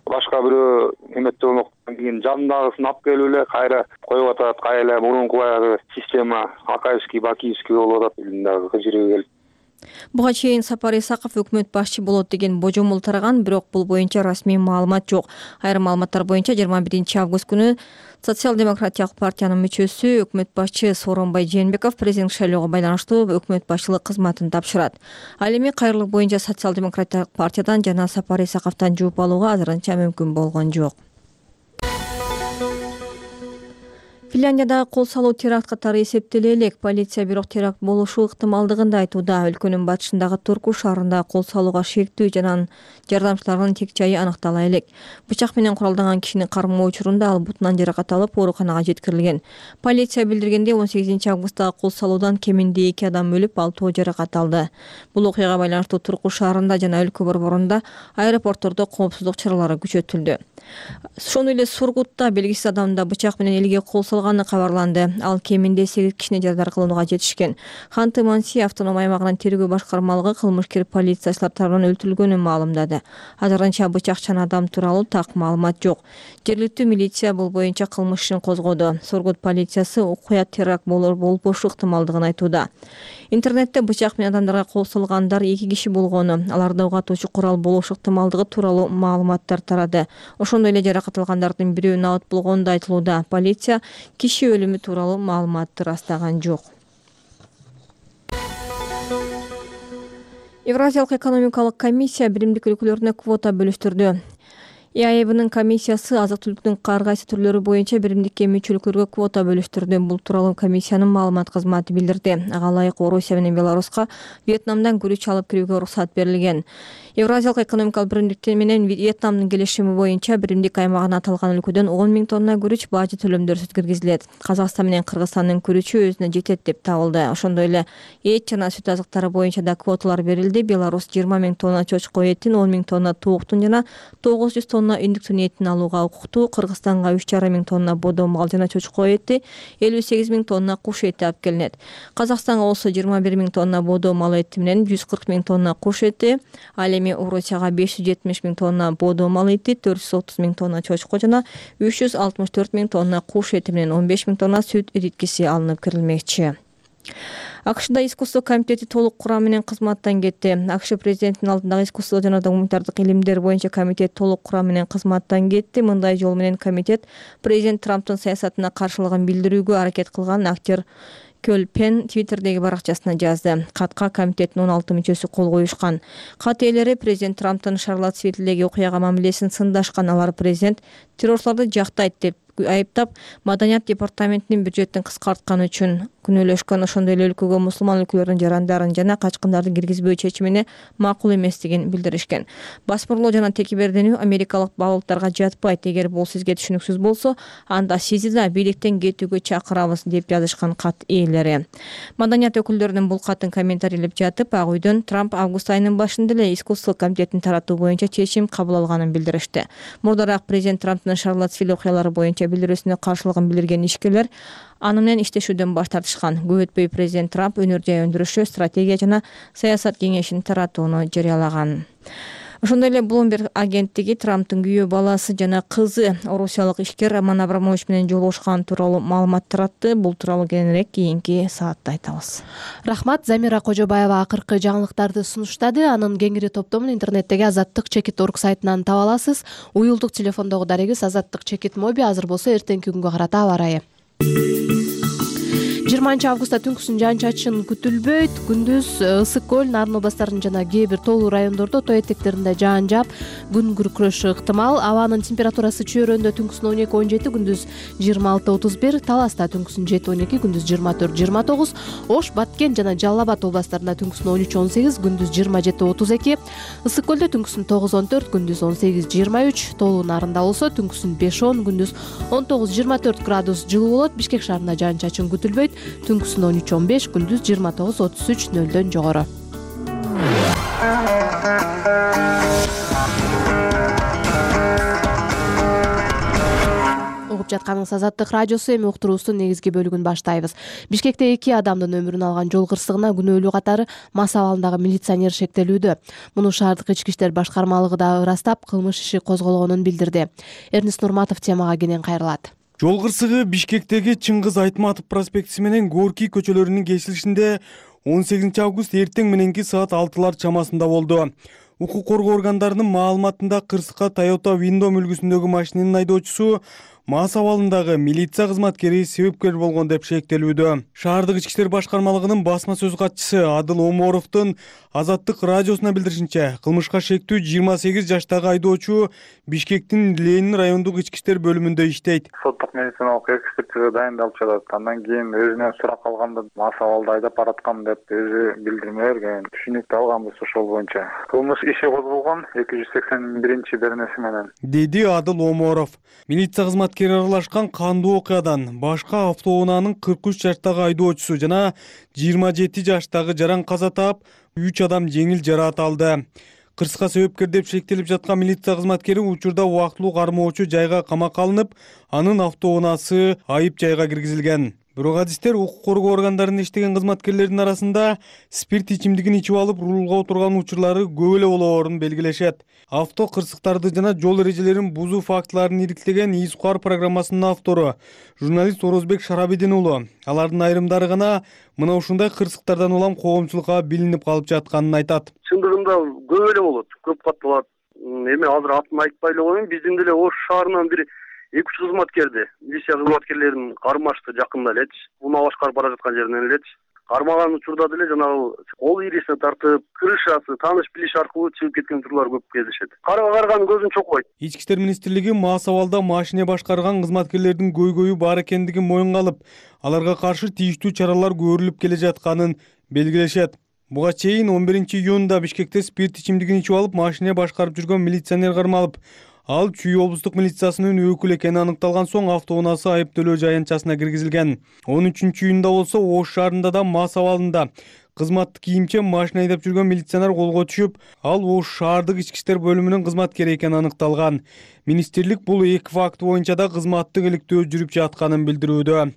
Башка бирөө эметте болмоктон кийин жанындагысын алып келип эле кайра коюп атат, кайра мурунку баягы система Акаевский, Бакиевский болуп атат элдин дагы кызы келип. Буга чейин Сапар Исаков өкмөт башчы болот деген божомол тараган, бирок бул боюнча расмий маалымат жок. Айрым маалыматтар боюнча жыйырма биринчи август күнү Социал-демократиялык партиянын мүчөсү өкмөт башчы Сооронбай Жээнбеков президент шайлоого байланыштуу өкмөт башчылык кызматын тапшырат. Ал эми кайрылык боюнча Социал-демократиялык партиядан жана Сапар Исаковдон жууп алууга азырынча мүмкүн болгон жок. Финляндиядагы кол салуу теракт катары эсептеле элек. Полиция бирок теракт болушу ыктымалдыгын да айтууда. Өлкөнүн батышындагы Турку шаарында кол салууга шектүү жана жардамчыларынын тек жайы аныктала элек. Бычак менен куралданган кишинин кармоо учурунда ал бутунан жаракат алып ооруканага жеткирилген. Полиция билдиргендей он сегизинчи августтагы кол салуудан кеминде эки адам өлүп, алтоо жаракат алды. Бул окуяга байланыштуу Турку шаарында жана өлкө борборунда аэропорттордо коопсуздук чаралары күчөтүлдү. Ошондой эле Сургутта белгисиз адамда бычак менен элге кол салганы кабарланды. Ал кеминде сегиз кишини жарадар кылууга жетишкен. Ханты-Манси автоном аймагынын тергөө башкармалыгы кылмышкер полициячылар тарабынан өлтүрүлгөнүн маалымдады. Азырынча бычакчан адам тууралуу так маалымат жок. Жергиликтүү милиция бул боюнча кылмыш ишин козгоду. Сургут полициясы окуя теракт болбошу ыктымалдыгын айтууда. Интернетте бычак менен адамдарга кол салгандар эки киши болгону, аларда угатуучу курал болушу ыктымалдыгы тууралуу маалыматтар тарады. Ошондой эле жаракат алгандардын бирөө набыт болгону да айтылууда. Полиция киши өлүмү тууралуу маалыматты ырастаган жок. Евразиялык экономикалык комиссия биримдик өлкөлөрүнө квота бөлүштүрдү. ИАЭБнын комиссиясы азык-түлүктүн ар кайсы түрлөрү боюнча биримдикке мүчөлүклөргө квота бөлүштүрдү. Бул тууралуу комиссиянын маалымат кызматы билдирди. Ага ылайык Орусия менен Беларуска Вьетнамдан күрүч алып кирүүгө уруксат берилген. Евразиялык экономикалык биримдик менен Вьетнамдын келишими боюнча биримдик аймагына аталган өлкөдөн он миң тонна күрүч бажы төлөмдөрсүз киргизилет. Казакстан менен Кыргызстандын күрүчү өзүнө жетет деп табылды. Ошондой эле эт жана сүт азыктары боюнча да квоталар берилди. Беларусь жыйырма миң тонна чочко этин, он миң тонна тооктун жана тогуз жүз тонна үндүктүн этин алууга укуктуу. Кыргызстанга үч жарым миң тонна бодо мал жана чочко эти, элүү сегиз миң тонна куш эти алып келинет. Казакстанга болсо жыйырма бир миң тонна бодо мал эти менен жүз кырк миң тонна куш эти, ал эми Орусияга беш жүз жетимиш миң тонна бодо мал эти, төрт жүз отуз миң тонна чочко жана үч жүз алтымыш төрт миң тонна куш эти менен он беш миң тонна сүт ириткиси алынып кирилмекчи. АКШда искусство комитети толук курам менен кызматтан кетти. АКШ президентинин алдындагы искусство жана гуманитардык илимдер боюнча комитет толук курам менен кызматтан кетти. Мындай жол менен комитет президент Трамптын саясатына каршылыгын билдирүүгө аракет кылган актер Көл Пен Твиттердеги баракчасына жазды. Катка комитеттин он алты мүчөсү кол коюшкан. Кат ээлери президент Трамптын Шарлоттсвиллдеги окуяга мамилесин сындашкан. Алар президент террорчуларды жактайт деп айыптап, Маданият департаментинин бюджеттин кыскартканы үчүн күнөөлөшкөн. Ошондой эле өлкөгө мусулман өлкөлөрдүн жарандарын жана качкындарды киргизбөө чечимине макул эместигин билдиришкен. Басмырлоо жана текеберденүү америкалык балыктарга жатпайт. Эгер бул сизге түшүнүксүз болсо, анда сизди да бийликтен кетүүгө чакырабыз деп жазышкан кат ээлери. Маданият өкүлдөрүнүн бул катын комментарийлеп жатып, Ак үйдөн Трамп август айынын башында эле искусство комитетин таратуу боюнча чечим кабыл алганын билдиришти. Мурдараак президент Трамптын Шарлоттсвилл окуялары боюнча билдирүүсүнө каршылыгын билдирген ишкерлер аны менен иштешүүдөн баш тартышкан. Көп өтпөй президент Трамп өнөр жай өндүрүшү, стратегия жана саясат кеңешин таратууну жарыялаган. Ошондой эле Bloomberg агенттиги Трамптын күйөө баласы жана кызы орусиялык ишкер Роман Абрамович менен жолугушкан тууралуу маалымат таратты. Бул тууралуу кийинирээк кийинки саатта айтабыз. Рахмат. Замира Кожобаева акыркы жаңылыктарды сунуштады. Анын кеңири топтомун интернеттеги азаттык чекит точка орг сайтынан таба аласыз. Уюлдук телефондогу дарегиз азаттык чекит моби. Азыр болсо эртеңки күнгө карата аба ырайы. жыйырманчы августта түнкүсүн жаан-чачын күтүлбөйт. Күндүз Ысык көл, Нарын областарынын жана кээ бир тоолуу райондордо тоо этектеринде жаан жаап, күн күркүрөшү ыктымал. Абанын температурасы Чөйрөндө түнкүсүн он эки он жети, күндүз жыйырма алты отуз бир, Таласта түнкүсүн жети он эки, күндүз жыйырма төрт жыйырма тогуз, Ош, Баткен жана Жалал Абад областарында түнкүсүн он үч он сегиз, күндүз жыйырма жети отуз эки, Ысык көлдө түнкүсүн тогуз он төрт, күндүз он сегиз жыйырма үч, тоолуу Нарында болсо түнкүсүн беш он, күндүз он тогуз жыйырма төрт градус жылуу болот. Бишкек шаарында жаан-чачын күтүлбөйт. Түнкүсүн он үч он беш, күндүз жыйырма тогуз отуз үч, нөлдөн жогору. Угуп жатканыңыз Азаттык радиосу. Эми уктуруубуздун негизги бөлүгүн баштайбыз. Бишкекте эки адамдын өмүрүн алган жол кырсыгына күнөөлүү катары Мас абалындагы милиционер шектелүүдө. Муну шаардык ички иштер башкармалыгы да ырастап, кылмыш иши козголгонун билдирди. Эрнест Нурматов темага кенен кайрылат. Жол кырсыгы Бишкектеги Чыңгыз Айтматов проспектиси менен Горький көчөлөрүнүн кесилишинде он сегизинчи август эртең мененки саат алтылар чамасында болду. Укук коргоо органдарынын маалыматында кырсыкка Toyota Windom үлгүсүндөгү машинанын айдоочусу Мас абалындагы милиция кызматкери себепкер болгон деп шектелүүдө. Шаардык ички иштер башкармалыгынын басма сөз катчысы Адыл Оморовдун Азаттык радиосуна билдиришинче, кылмышка шектүү жыйырма сегиз жаштагы айдоочу Бишкектин Ленин райондук ички иштер бөлүмүндө иштейт. Соттук медициналык экспертиза дайындалып жатат. Андан кийин өзүнөн сурак алганда Мас абалда айдап бараткам деп өзү билдирме берген. Түшүнүктүү алганбыз ошол боюнча. Кылмыш иши козголгон эки жүз сексен биринчи беренеси менен, деди Адыл Оморов. Милиция кызматкери аралашкан кандуу окуядан башка автоунаанын кырк үч жаштагы айдоочусу жана жыйырма жети жаштагы жаран каза таап, үч адам жеңил жараат алды. Кырсыкка себепкер деп шектелип жаткан милиция кызматкери учурда убактылуу кармоочу жайга камакка алынып, анын автоунаасы айып жайга киргизилген. Бирок адистер укук коргоо органдарында иштеген кызматкерлердин арасында спирт ичимдигин ичип алып рулга отурган учурлары көп эле болоорун белгилешет. Авто кырсыктарды жана жол эрежелерин бузуу фактыларын ириктеген ИСУКАР программасынын автору журналист Орозбек Шарабидин уулу. Алардын айрымдары гана мына ушундай кырсыктардан улам коомчулукка билинип калып жатканын айтат. Чындыгында көп эле болот, көп кат болот. Эми азыр атын айтпай эле коеюн, биздин деле Ош шаарынан бир эки үч кызматкерди, милиция кызматкерлерин кармашты жакында элечи. Унаа башкарып бара жаткан жеринен элечи. кармаган учурда деле жанагы кол ирисине тартып, крышасы, тааныш билиш аркылуу чыгып кеткен учурлар көп кездешет. Карга карган көзүн чокпойт. Ички иштер министрлиги мас абалда машине башкарган кызматкерлердин көйгөйү бар экендигин моюнга алып, аларга каршы тийиштүү чаралар көрүлүп келе жатканын белгилешет. Буга чейин он биринчи июнда Бишкекте спирт ичимдигин ичип алып машине башкарып жүргөн милиционер кармалып, ал Чүй облустук милициясынын өкүлү экени аныкталган соң автоунаасы айыптөлөө жаянтчасына киргизилген. он үчүнчү июнда болсо Ош шаарында да мас абалында кызматтык кийимче машина айдап жүргөн милиционер колго түшүп, ал Ош шаардык ички иштер бөлүмүнүн кызматкери экени аныкталган. Министрлик бул эки факт боюнча да кызматтык иликтөө жүрүп жатканын билдирүүдө.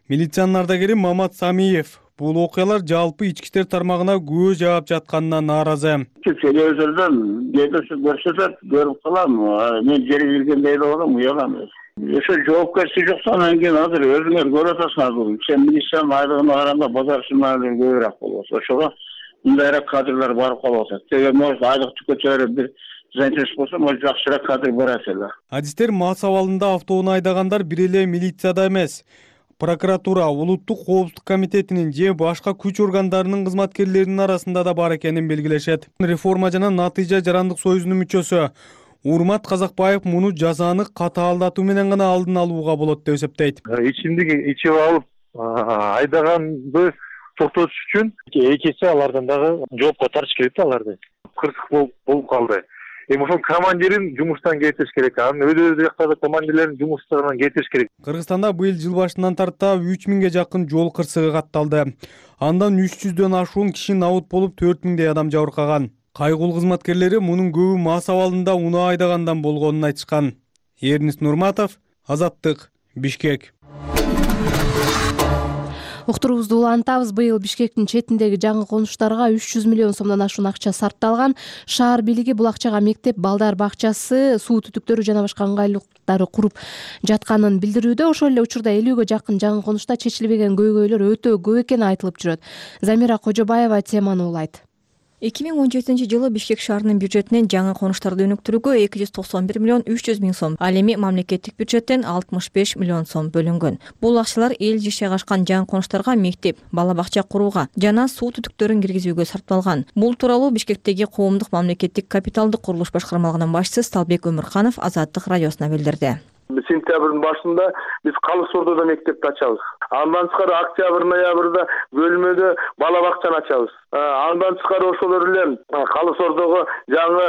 Милициянын ардагери Мамат Самиев бул окуялар жалпы ички иштер тармагына көз жаап жатканына нааразы. Телевизордон көрсөтөт, көрүп калам. Мен жери келгенде эле болом, уялам. Ошо жоопкерчилик жок, анан кийин азыр өзүңөр көрүп атасыңар. Сен милициянын айлыгына караганда базар шымалыр көбүрөөк болот. Ошого мындайраак кадрлар барып калып атат. Теге может айлык түкөчөрүп бир занятость болсо, может жакшыраак кадр барат эле. Адистер мас абалында автоунаа айдагандар бир эле милицияда эмес, прокуратура, улуттук коопсуздук комитетинин же башка күч органдарынын кызматкерлеринин арасында да бар экенин белгилешет. Реформа жана Натыйжа жарандык союзунун мүчөсү Урмат Казакбаев муну жазаны катаалдатуу менен гана алдын алууга болот деп эсептейт. Ичимдик ичип алып айдаганды токтотуш үчүн экинчи алардан дагы жоопко тартыш керек да аларды. Кырсык болуп калды. Эми ошол командирин жумуштан кетириш керек. Анын өз жактагы командирлерин жумуштарынан кетириш керек. Кыргызстанда быйыл жыл башынан тарта үч миңге жакын жол кырсыгы катталды. Андан үч жүздөн ашуун киши набут болуп, төрт миңдей адам жабыркаган. Кайгул кызматкерлери мунун көбү мас абалында унаа айдагандан болгонун айтышкан. Эрнис Нурматов, Азаттык, Бишкек. Уктуруубузду улантабыз. Быйыл Бишкектин четиндеги жаңы конуштарга үч жүз миллион сомдон ашуун акча сарпталган. Шаар бийлиги бул акчага мектеп, балдар бакчасы, суу түтүктөрү жана башка ыңгайлуулуктарды куруп жатканын билдирүүдө. Ошол эле учурда элүүгө жакын жаңы конушта чечилбеген көйгөйлөр өтө көп экени айтылып жүрөт. Замира Кожобаева теманы улайт. эки миң он жетинчи жылы Бишкек шаарынын бюджетинен жаңы конуштарды өнүктүрүүгө эки жүз токсон бир миллион үч жүз миң сом, ал эми мамлекеттик бюджеттен алтымыш беш миллион сом бөлүнгөн. Бул акчалар эл жашай ашкан жаңы конуштарга мектеп, бала бакча курууга жана суу түтүктөрүн киргизүүгө сарпталган. Бул тууралуу Бишкектеги коомдук мамлекеттик капиталдык курулуш башкармалыгынын башчысы Сталбек Өмүрканов Азаттык радиосуна билдирди. Сентябрдын башында биз Калыс Ордодо мектепти ачабыз. Андан тышкары октябрь, ноябрда бөлмөдө бала бакчаны ачабыз. Андан тышкары ошолор эле Калыс Ордого жаңы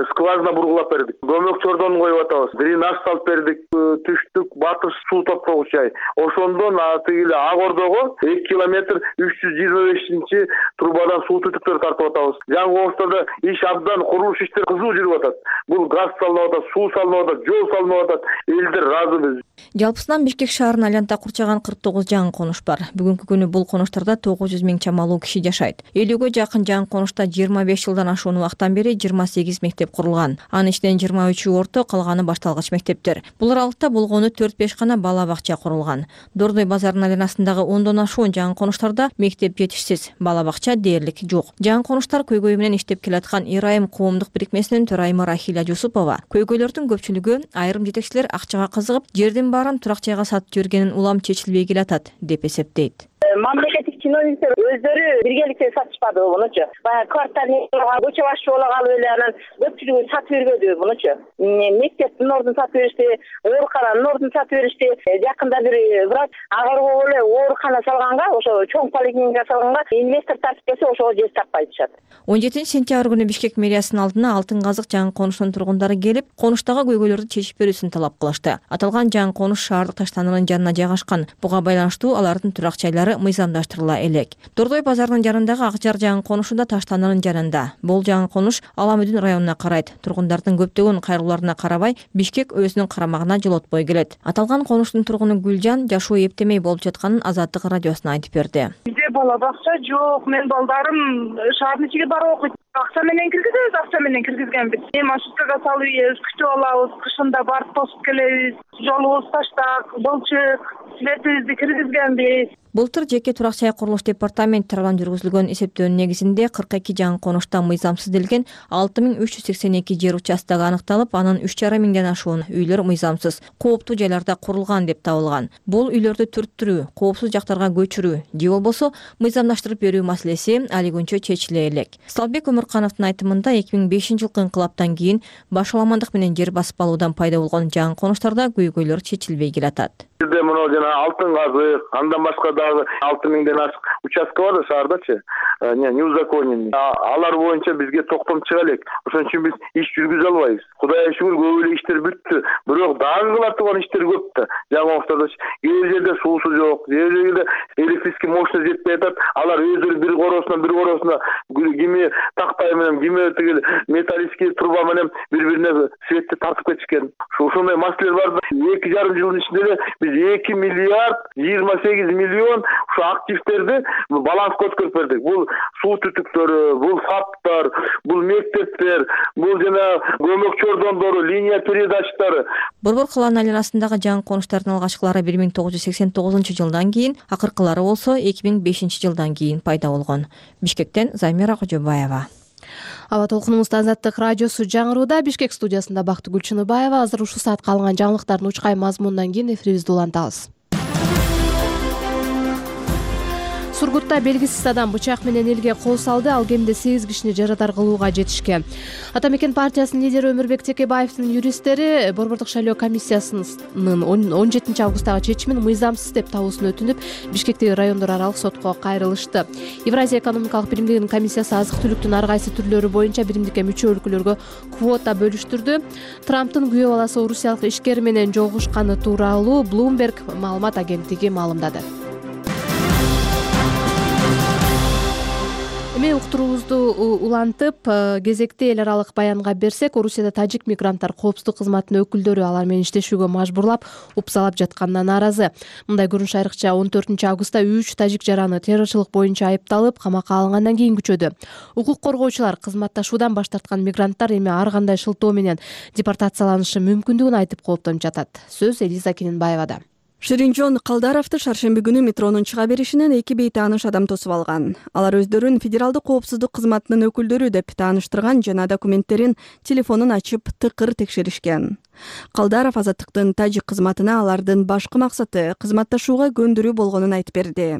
скважина бургулап бердик. Көмөк чордон коюп атабыз. Дренаж салып бердик. Түштүк батыш суу топтогуч жай. Ошондон тигиле Ак Ордого эки километр үч жүз жыйырма бешинчи трубадан суу түтүктөр тартып атабыз. Жаңы Оштордо иш абдан, курулуш иштери кызуу жүрүп атат. Бул газ салынып атат, суу салынып атат, жол салынып атат. Разыбыз. Жалпысынан Бишкек шаарын айланта курчаган кырк тогуз жаңы конуш бар. Бүгүнкү күнү бул конуштарда тогуз жүз миң чамалуу киши жашайт. элүүгө жакын жаңы конушта жыйырма беш жылдан ашуун убакыттан бери жыйырма сегиз мектеп курулган. Анын ичинен жыйырма үчү орто, калганы башталгыч мектептер. Булар аралыкта болгону төрт беш гана бала бакча курулган. Дордой базарынын айланасындагы ондон ашуун жаңы конуштарда мектеп жетишсиз, бала бакча дээрлик жок. Жаңы конуштар көйгөй менен иштеп келаткан Ирайым коомдук бирикмесинин төрайымы Рахиля Жусупова көйгөйлөрдүн көпчүлүгү айрым жетекчилер акчага кызыгып, жердин баарын турак жайга сатып жибергенин улам чечилбей келатат деп эсептейт. Мамлекеттик чиновниктер өздөрү биргеликте сатышпады мунучу. Баягы квартальный көчө башчы боло калып эле анан көпчүлүгү сатып бербеди мунучу. Мектептин ордун сатып беришти, оорукананын ордун сатып беришти. Жакында бир врач агарып эле оорукана салганга, ошо чоң поликлиника салганга инвестор тартып келсе, ошого жер таппай атышат. он жетинчи сентябрь күнү Бишкек мэриясынын алдына Алтын Казык жаңы конушунун тургундары келип, конуштагы көйгөйлөрдү чечип берүүсүн талап кылышты. Аталган жаңы конуш шаардык таштанынын жанына жайгашкан. Буга байланыштуу алардын турак жайлары мыйзамдаштырыла элек. Дордой базарынын жанындагы Акжар жаңы конушунда таштанынын жанында. Бул жаңы конуш Аламүдүн районуна карайт. Тургундардын көптөгөн кайрылууларына карабай, Бишкек өзүнүн карамагына жолотпой келет. Аталган конуштун тургуну Гүлжан жашоо эптемей болуп жатканын Азаттык радиосуна айтып берди. Бизде бала бакча жок, мен балдарым шаардын ичиге барып окуйт. Акча менен киргизебиз, акча менен киргизгенбиз. Эми маршруткага салып ийебиз, күтүп алабыз, кышында барып тосуп келебиз. жолубуз таштак, былчык, светибизди киргизгенбиз. Былтыр жеке турак жай курулуш департаменти тарабынан жүргүзүлгөн эсептөөнүн негизинде кырк эки жаңы конушта мыйзамсыз делген алты миң үч жүз сексен эки жер участогу аныкталып, анын үч жарым миңден ашуун үйлөр мыйзамсыз, кооптуу жайларда курулган деп табылган. Бул үйлөрдү түрттүрүү, коопсуз жактарга көчүрүү же болбосо мыйзамдаштырып берүү маселеси али күнчө чечиле элек. Салбек Өмүркановдун айтымында эки миң бешинчи жылкы инкылаптан кийин башаламандык менен жер басып алуудан пайда болгон жаңы конуштарда көйгөйлөр чечилбей келатат. Бизде мына жана алтын казык, андан башка дагы алты миңден ашык участка бар да шаардачы, не неузаконенный. Алар боюнча бизге токтом чыга элек. Ошон үчүн биз иш жүргүзө албайбыз. Кудайга шүгүр көп эле иштер бүттү. Бирок дагы кыла турган иштер көп да. Жаңы октодо кээ жерде суусу жок, кээ жерде электрический мощность жетпей атат. Алар өздөрү бир коросунан бир коросуна кими тактай менен, кими тигил металлический труба менен бири-бирине светти тартып кетишкен. Ошондой маселелер бар да. эки жарым жылдын ичинде эле биз эки миллиард жыйырма сегиз миллион ушу активтерди баланска өткөрүп бердик. Бул суу түтүктөрү, бул фаптар, бул мектептер, бул жана көмөк чордондору, линия передачтары. Борбор калаанын айланасындагы жаңы конуштардын алгачкылары бир миң тогуз жүз сексен тогузунчу жылдан кийин, акыркылары болсо эки миң бешинчи жылдан кийин пайда болгон. Бишкектен Замира Кожобаева. Аба толкунубузда Азаттык радиосу жаңырууда. Бишкек студиясында Бактыгүл Чыныбаева. Азыр ушул саатка алынган жаңылыктардын учкай мазмунунан кийин эфирибизди улантабыз. Сургутта белгисиз адам бычак менен элге кол салды, ал кеминде сегиз кишини жарадар кылууга жетишкен. Ата мекен партиясынын лидери Өмүрбек Текебаевдин юристтери борбордук шайлоо комиссиясынын он жетинчи августтагы чечимин мыйзамсыз деп табуусун өтүнүп, Бишкектеги райондор аралык сотко кайрылышты. Евразия экономикалык биримдигинин комиссиясы азык-түлүктүн ар кайсы түрлөрү боюнча биримдикке мүчө өлкөлөргө квота бөлүштүрдү. Трамптын күйөө баласы орусиялык ишкер менен жолугушканы тууралуу Bloomberg маалымат агенттиги маалымдады. Эми уктуруубузду улантып, кезекти эл аралык баянга берсек, Орусияда тажик мигранттар коопсуздук кызматынын өкүлдөрү алар менен иштешүүгө мажбурлап, упсалап жатканына нааразы. Мындай көрүнүш айрыкча он төртүнчү августта үч тажик жараны террорчулук боюнча айыпталып, камакка алынгандан кийин күчөдү. Укук коргоочулар кызматташуудан баш тарткан мигранттар эми ар кандай шылтоо менен депортацияланышы мүмкүндүгүн айтып кооптонуп жатат. Сөз Элиза Кененбаевада. Ширинжон Калдаровду шаршемби күнү метронун чыга беришинен эки бейтааныш адам тосуп алган. Алар өздөрүн федералдык коопсуздук кызматынын өкүлдөрү деп тааныштырган жана документтерин, телефонун ачып тыкыр текшеришкен. Калдаров Азаттыктын тажик кызматына алардын башкы максаты кызматташууга көндүрүү болгонун айтып берди.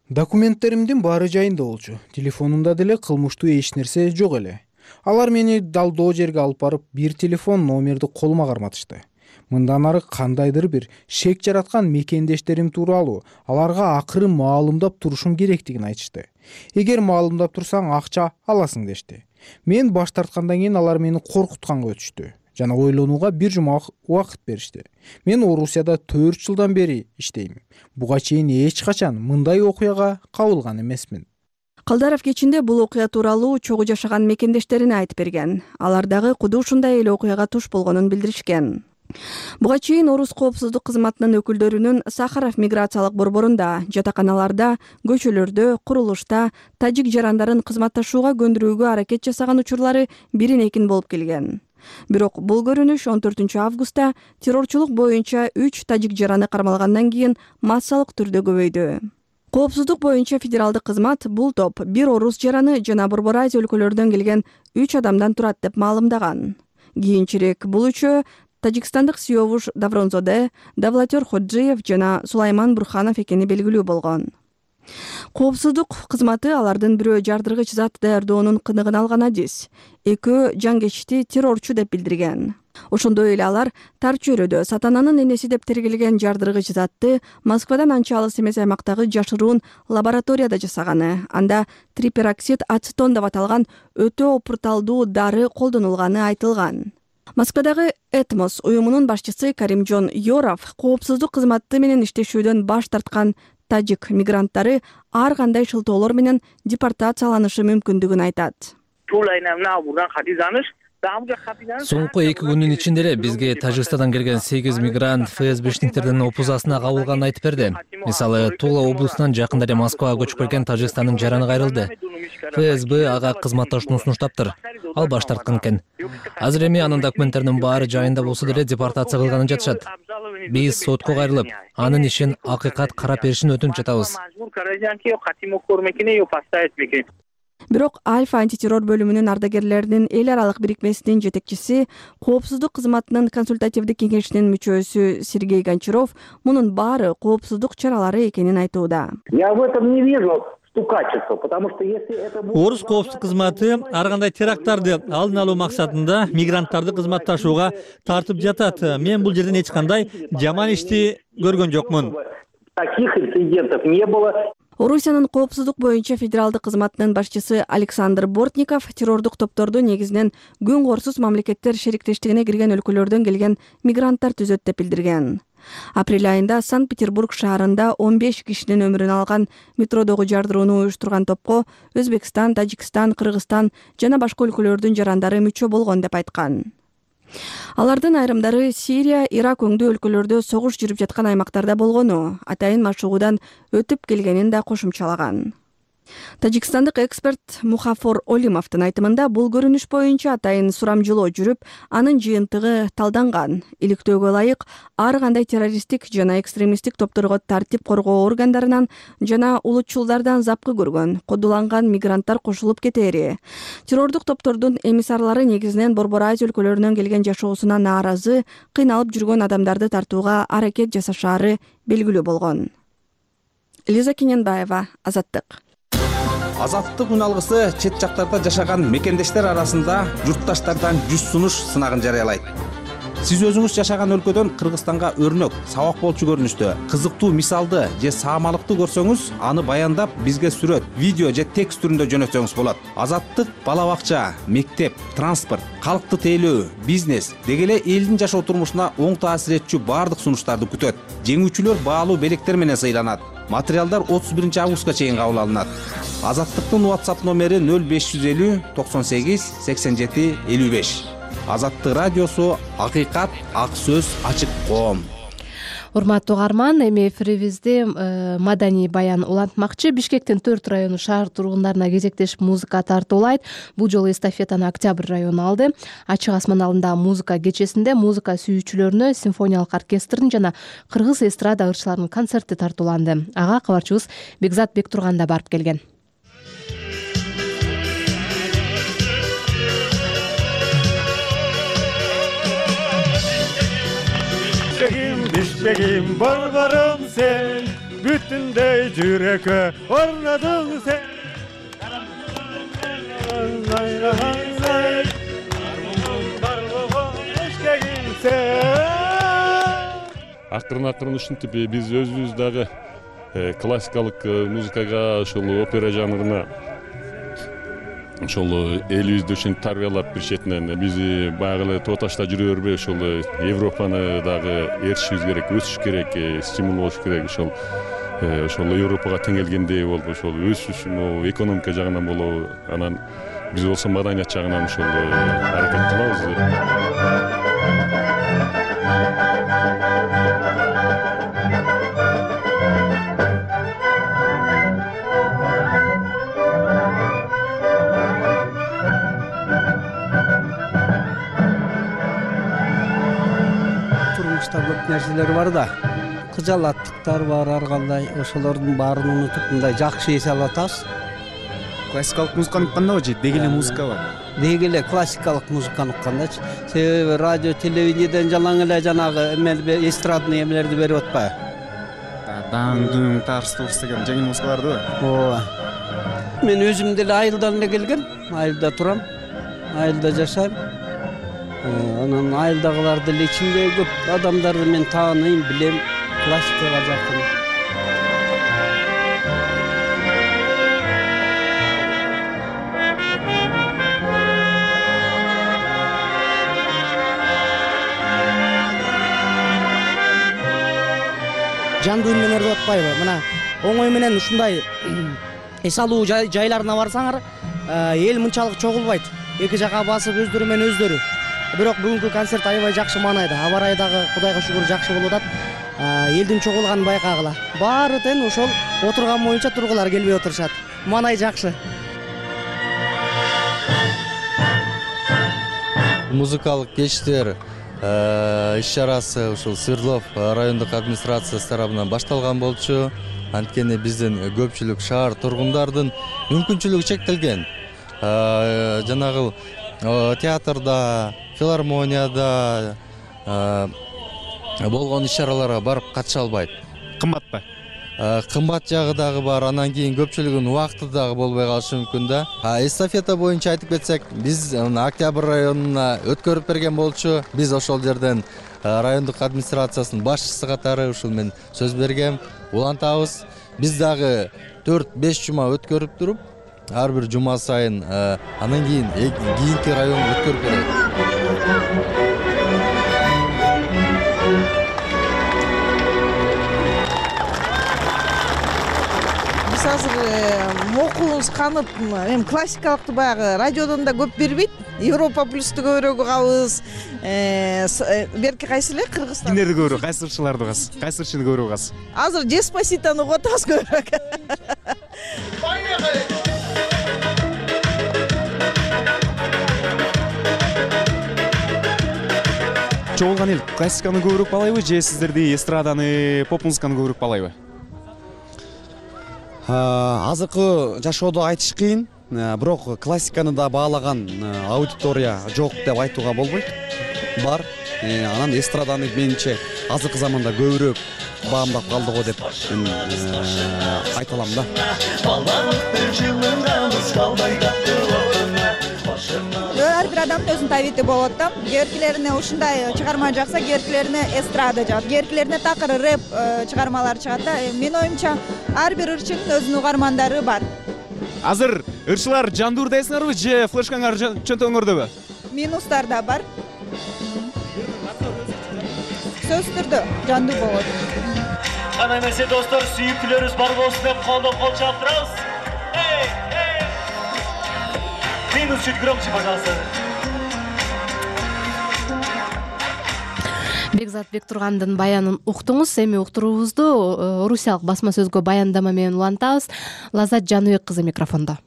Документтеримдин баары жайында болчу. Телефонумда деле кылмыштуу эч нерсе жок эле. Алар мени далдоо жерге алып барып, бир телефон номерди колума карматышты. Мындан ары кандайдыр бир шек жараткан мекендештерим тууралуу аларга акырын маалымдап турушум керектигин айтышты. Эгер маалымдап турсаң акча аласың дешти. Мен баш тарткандан кийин алар мени коркутканга өтүштү жана ойлонууга бир жума убакыт беришти. Мен Орусияда төрт жылдан бери иштейм. Буга чейин эч качан мындай окуяга кабылган эмесмин. Калдаров кечинде бул окуя тууралуу чогуу жашаган мекендештерине айтып берген. Алар дагы куду ушундай эле окуяга туш болгонун билдиришкен. Буга чейин Орус коопсуздук кызматынын өкүлдөрүнүн Сахаров миграциялык борборунда, жатаканаларда, көчөлөрдө, курулушта тажик жарандарын кызматташууга көндүрүүгө аракет жасаган учурлары бирин экин болуп келген. Бирок бул көрүнүш он төртүнчү августта террорчулук боюнча үч тажик жараны кармалгандан кийин массалык түрдө көбөйдү. Коопсуздук боюнча федералдык кызмат бул топ бир орус жараны жана Борбор Азия өлкөлөрүнөн келген үч адамдан турат деп маалымдаган. Кийинчерээк бул үчөө Тажикстандык Сиёвуш Давронзоде, Давлатер Ходжиев жана Сулайман Бурханов экени белгилүү болгон. Коопсуздук кызматы алардын бирөө жардыргыч зат даярдоонун кыныгын алган адис. Экөө жангечти террорчу деп билдирген. Ошондой эле алар тар чөйрөдө сатананын энеси деп тергелген жардыргыч затты Москвадан анча алыс эмес аймактагы жашыруун лабораторияда жасаганы, анда трипероксид ацетон деп аталган өтө опурталдуу дары колдонулганы айтылган. Москвадагы Этмос уюмунун башчысы Каримжон Йоров коопсуздук кызматы менен иштешүүдөн баш тарткан тажик мигранттары ар кандай шылтоолор менен депортацияланышы мүмкүндүгүн айтат. Туулайна мына бурдан кат изданыш Соңку эки күндүн ичинде эле бизге Тажикстандан келген сегиз мигрант ФСБшниктердин опузасына кабылганын айтып берди. Мисалы, Тула облусунан жакында эле Москвага көчүп келген Тажикстандын жараны кайрылды. ФСБ ага кызматташууну сунуштаптыр. Ал баш тарткан экен. Азыр эми анын документтеринин баары жайында болсо деле депортация кылганын жатышат. Биз сотко кайрылып, анын ишин акыйкат карап беришин өтүнүп жатабыз. Бирок Альфа антитеррор бөлүмүнүн ардагерлеринин эл аралык бирикмесинин жетекчиси, коопсуздук кызматынын консультативдик кеңешинин мүчөсү Сергей Гончаров мунун баары коопсуздук чаралары экенин айтууда. Я в этом не вижу стукачества, потому что если это будет... Орус коопсуздук кызматы ар кандай теракттарды алдын алуу максатында мигранттарды кызматташууга тартып жатат. Мен бул жерден эч кандай жаман ишти көргөн жокмун. Таких инцидентов не было. Орусиянын коопсуздук боюнча федералдык кызматынын башчысы Александр Бортников террордук топторду негизинен күн корсуз мамлекеттер шериктештигине кирген өлкөлөрдөн келген мигранттар түзөт деп билдирген. Апрель айында Санкт-Петербург шаарында он беш кишинин өмүрүн алган метродогу жардырууну уюштурган топко Өзбекстан, Тажикстан, Кыргызстан жана башка өлкөлөрдүн жарандары мүчө болгон деп айткан. Алардын айрымдары Сирия, Ирак өңдүү өлкөлөрдө согуш жүрүп жаткан аймактарда болгону, атайын машыгуудан өтүп келгенин да кошумчалаган. Тажикстандык эксперт Мухафор Олимовдун айтымында бул көрүнүш боюнча атайын сурамжылоо жүрүп, анын жыйынтыгы талданган. Иликтөөгө ылайык ар кандай террористтик жана экстремисттик топторго тартип коргоо органдарынан жана улутчулдардан запкы көргөн, кодуланган мигранттар кошулуп кетери. Террордук топтордун эмиссарлары негизинен Борбор Азия өлкөлөрүнөн келген жашоосуна нааразы, кыйналып жүргөн адамдарды тартууга аракет жасашаары белгилүү болгон. Лиза Кененбаева, Азаттык. Азаттык үн алгысы чет жактарда жашаган мекендештер арасында журтташтардан жүз сунуш сынагын жарыялайт. Сиз өзүңүз жашаган өлкөдөн Кыргызстанга өрнөк, сабак болчу көрүнүштө, кызыктуу мисалды же саамалыкты көрсөңүз, аны баяндап бизге сүрөт, видео же текст түрүндө жөнөтсөңүз болот. Азаттык бала бакча, мектеп, транспорт, калкты тейлөө, бизнес деги эле элдин жашоо турмушуна оң таасир этчү баардык сунуштарды күтөт. Жеңүүчүлөр баалуу белектер менен сыйланат. Материалдар отуз биринчи августка чейин кабыл алынат. Азаттыктын WhatsApp номери нөл беш жүз элүү токсон сегиз сексен жети элүү беш. Азаттык радиосу, акыйкат, ак сөз, ачык коом. Урматтуу угарман, эми эфирибизди маданий баян улантмакчы. Бишкектин төрт району шаар тургундарына кезектешип музыка тартуулайт. Бул жолу эстафетаны Октябрь району алды. Ачык асман алдындагы музыка кечесинде музыка сүйүүчүлөрүнө симфониялык оркестрдин жана кыргыз эстрада ырчыларынын концерти тартууланды. Ага кабарчыбыз Бекзат Бектурган да барып келген. Бишкегим борборум сен, бүтүндөй жүрөккө орнодуң сен. Акырын акырын ушинтип биз өзүбүз дагы классикалык музыкага, ошол опера жанрына ошол элибизди ушинтип тарбиялап бир четинен биз баягы эле тоо ташта жүрө бербей ошол Европаны дагы ээрчишибиз керек, өсүш керек, стимул болуш керек. Ошол ошол Европага тең келгендей болуп, ошол өсүш, экономика жагынан болобу, анан биз болсо маданият жагынан ошол аракет кылабыз. Көп нерселер бар да, кыжалаттыктар бар, ар кандай ошолордун баарын унутуп мындай жакшы эс алып атабыз. Классикалык музыканы уккандабы же деги эле музыка бар? Деги эле классикалык музыканы уккандачы. Себеби радио, телевидениеден жалаң эле жанагы эмелер, эстрадный эмелерди берип атпайбы? Даң-дуң, тарс-турс деген жеңил музыкаларды бар. Ооба. Мен өзүм деле айылдан эле келгем, айылда турам, айылда жашайм. Анан айылдагылар деле ичинде көп адамдарды мен тааныйм, билем, классикага жакын. Жандуу үн менен деп атпайбы? Мына оңой менен ушундай эс алуу жайларына барсаңар, эл мынчалык чогулбайт. эки жака басып өздөрү менен өздөрү. Бирок бүгүнкү концерт аябай жакшы маанайда. Аба ырайы дагы Кудайга шүгүр жакшы болуп атат. Элдин чогулганын байкагыла. Баары тең ошол отурган боюнча тургулар келбей отурушат. Маанай жакшы. Музыкалык кечтер иш-чарасы ушул Свердлов райондук администрациясы тарабынан башталган болчу. Анткени биздин көпчүлүк шаар тургундардын мүмкүнчүлүгү чектелген. Жанагы театрда, филармонияда болгон иш-чараларга барып катыша албайт. Кымбатпы? Кымбат жагы дагы бар. Анан кийин көпчүлүгүнүн убакыты дагы болбой калышы мүмкүн да. Эстафета боюнча айтып кетсек, биз Октябрь районуна өткөрүп берген болчу. Биз ошол жерден райондук администрациясынын башчысы катары ушул мен сөз бергем. Улантабыз. Биз дагы төрт беш жума өткөрүп туруп, ар бир жума сайын анан кийин кийинки районго өткөрүп берет. Биз азыр мокулубуз канып, эми классикалыкты баягы радиодон да көп бербейт. Европа плюсту көбүрөөк угабыз. Берки кайсы эле Кыргызстан? Кимдерди көбүрөөк, кайсы ырчыларды угасыз? Кайсы ырчыны көбүрөөк угасыз? Азыр Деспаситону угуп атабыз көбүрөөк. Чогулган эл классиканы көбүрөөк баалайбы же сиздерди эстраданы, поп музыканы көбүрөөк баалайбы? Азыркы жашоодо айтыш кыйын, бирок классиканы да баалаган аудитория жок деп айтууга болбойт. Бар. Анан эстраданы менимче азыркы заманда көбүрөөк баамдап калды го деп мен айта алам да. Ар бир адамдын өзүнүн табиити болот да. Кээ-биркилерине ушундай чыгарма жакса, кээ-биркилерине эстрада жагат, кээ-биркилерине такыр рэп чыгармалар чыгат да. Менин оюмча ар бир ырчынын өзүнүн угармандары бар. Азыр ырчылар жандуурдайсыңарбы же флешкаңар чөнтөгүңөрдөбү? Минустар да бар. Сөзсүз түрдө жандуу болот. Кана эмесе достор, сүйүктүүлөрүбүз бар болсун деп колдоп кол чаап турабыз. Эй, эй! Минус чуть громче, пожалуйста. Бекзат Бектургандын баянын уктуңуз. Эми уктуруубузду орусиялык басма сөзгө баяндама менен улантабыз. Лазат Жаныбек кызы микрофондо.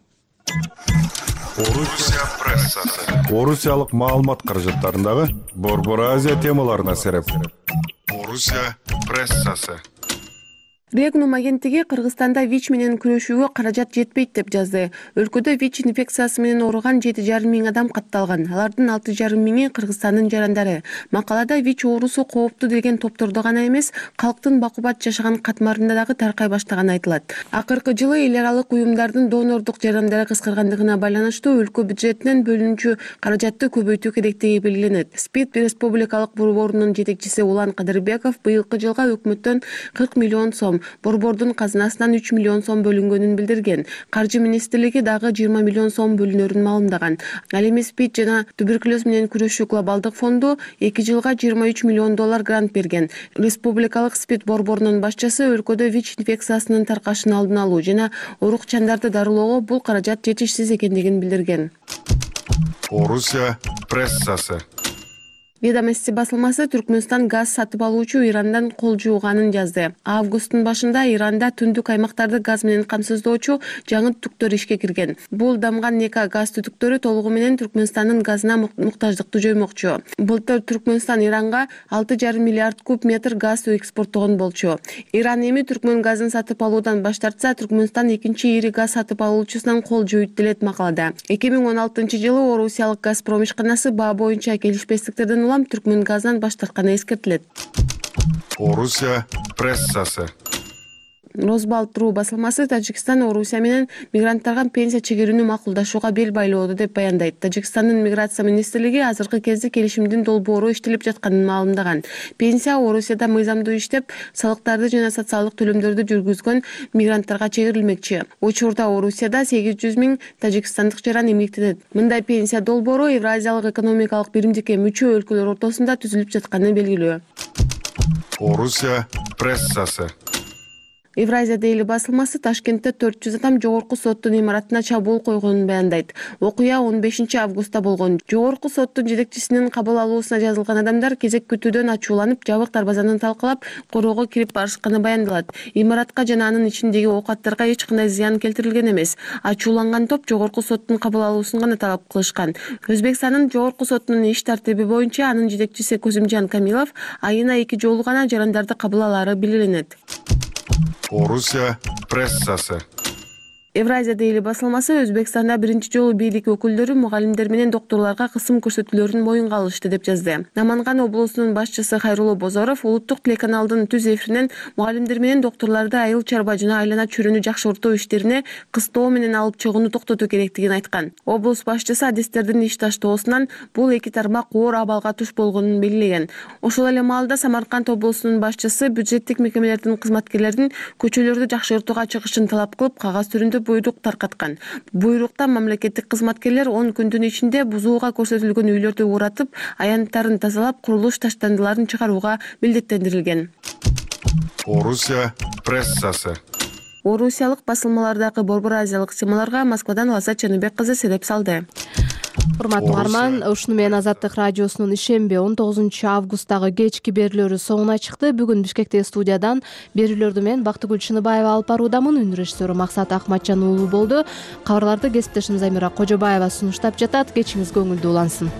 Орусия прессасы. Орусиялык маалымат каражаттарындагы Борбор Азия темаларына сереп. Орусия прессасы. Регнум агенттиги Кыргызстанда ВИЧ менен күрөшүүгө каражат жетпейт деп жазды. Өлкөдө ВИЧ инфекциясы менен ооруган жети жарым миң адам катталган. Алардын алты жарым миңи Кыргызстандын жарандары. Макалада ВИЧ оорусу кооптуу деген топтордо гана эмес, калктын бакубат жашаган катмарында дагы таркай баштаганы айтылат. Акыркы жылы эл аралык уюмдардын донордук жардамдары кыскаргандыгына байланыштуу өлкө бюджетинен бөлүнүүчү каражатты көбөйтүү керектиги белгиленет. СПИД республикалык борборунун жетекчиси Улан Кадырбеков быйылкы жылга өкмөттөн кырк миллион сом, борбордун казынасынан үч миллион сом бөлүнгөнүн билдирген. Каржы министрлиги дагы жыйырма миллион сом бөлүнөрүн маалымдаган. Ал эми СПИД жана туберкулез менен күрөшүү глобалдык фонду эки жылга жыйырма үч миллион доллар грант берген. Республикалык СПИД борборунун башчысы өлкөдө ВИЧ инфекциясынын таркашын алдын алуу жана оорукчандарды дарылоого бул каражат жетишсиз экендигин билдирген. Орусия прессасы. Ведомости басылмасы Түркмөнстан газ сатып алуучу Ирандан кол жууганын жазды. Августтун башында Иранда түндүк аймактарды газ менен камсыздоочу жаңы түтүктөр ишке кирген. Бул дамган Нека газ түтүктөрү толугу менен Түркмөнстандын газына муктаждыкты жоймокчу. Былтыр Түркмөнстан Иранга алты жарым миллиард куб метр газ экспорттогон болчу. Иран эми Түркмөн газын сатып алуудан баш тартса, Түркмөнстан экинчи ири газ сатып алуучусунан кол жууйт делет макалада. эки миң он алтынчы жылы Орусиялык Газпром ишканасы баа боюнча келишпестиктерден Түркмөн газдан баш тартканы эскертилет. Орусия прессасы. Росбалт.ру басылмасы Тажикстан Орусия менен мигранттарга пенсия чегерүүнү макулдашууга бел байлоодо деп баяндайт. Тажикстандын миграция министрлиги азыркы кезде келишимдин долбоору иштелип жатканын маалымдаган. Пенсия Орусияда мыйзамдуу иштеп, салыктарды жана социалдык төлөмдөрдү жүргүзгөн мигранттарга чегерилмекчи. Учурда Орусияда сегиз жүз миң тажикстандык жаран эмгектенет. Мындай пенсия долбоору Евразиялык экономикалык биримдикке мүчө өлкөлөр ортосунда түзүлүп жатканы белгилүү. Орусия прессасы. Евразия дейли басылмасы Ташкентте төрт жүз адам жогорку соттун имаратына чабуул койгонун баяндайт. Окуя он бешинчи августта болгон. Жогорку соттун жетекчисинин кабыл алуусуна жазылган адамдар кезек күтүүдөн ачууланып, жабык дарбазаны талкалап, короого кирип барышканы баяндалат. Имаратка жана анын ичиндеги оокаттарга эч кандай зыян келтирилген эмес. Ачууланган топ жогорку соттун кабыл алуусун гана талап кылышкан. Өзбекстандын жогорку сотунун иш тартиби боюнча анын жетекчиси Козимжан Камилов айына эки жолу гана жарандарды кабыл алаары белгиленет. Орусия прессасы. Евразия дейли басылмасы Өзбекстанда биринчи жолу бийлик өкүлдөрү мугалимдер менен докторлорго кысым көрсөтүүлөрүн моюнга алышты деп жазды. Наманган облусунун башчысы Хайрулло Бозоров улуттук телеканалдын түз эфиринен мугалимдер менен докторлорду айыл чарба жана айлана чөйрөнү жакшыртуу иштерине кыстоо менен алып чыгууну токтотуу керектигин айткан. Облус башчысы адистердин иш таштоосунан бул эки тармак оор абалга туш болгонун белгилеген. Ошол эле маалда Самарканд облусунун башчысы бюджеттик мекемелердин кызматкерлеринин көчөлөрдү жакшыртууга чыгышын талап кылып, кагаз түрүндө буйрук таркаткан. Буйрукта мамлекеттик кызматкерлер он күндүн ичинде бузууга көрсөтүлгөн үйлөрдү уратып, аянттарын тазалап, курулуш таштандыларын чыгарууга милдеттендирилген. Орусия прессасы. Орусиялык басылмалардагы борбор азиялык темаларга Москвадан Лаззат Жаныбек кызы сереп салды. Урматтуу угарман, ушуну менен Азаттык радиосунун ишемби он тогузунчу августтагы кечки берүүлөрү соңуна чыкты. Бүгүн Бишкектеги студиядан берүүлөрдү мен Бактыгүл Чыныбаева алып баруудамын. Үн режиссеру Максат Акматжан уулу болду. Кабарларды кесиптешим Замира Кожобаева сунуштап жатат. Кечиңиз көңүлдүү улансын.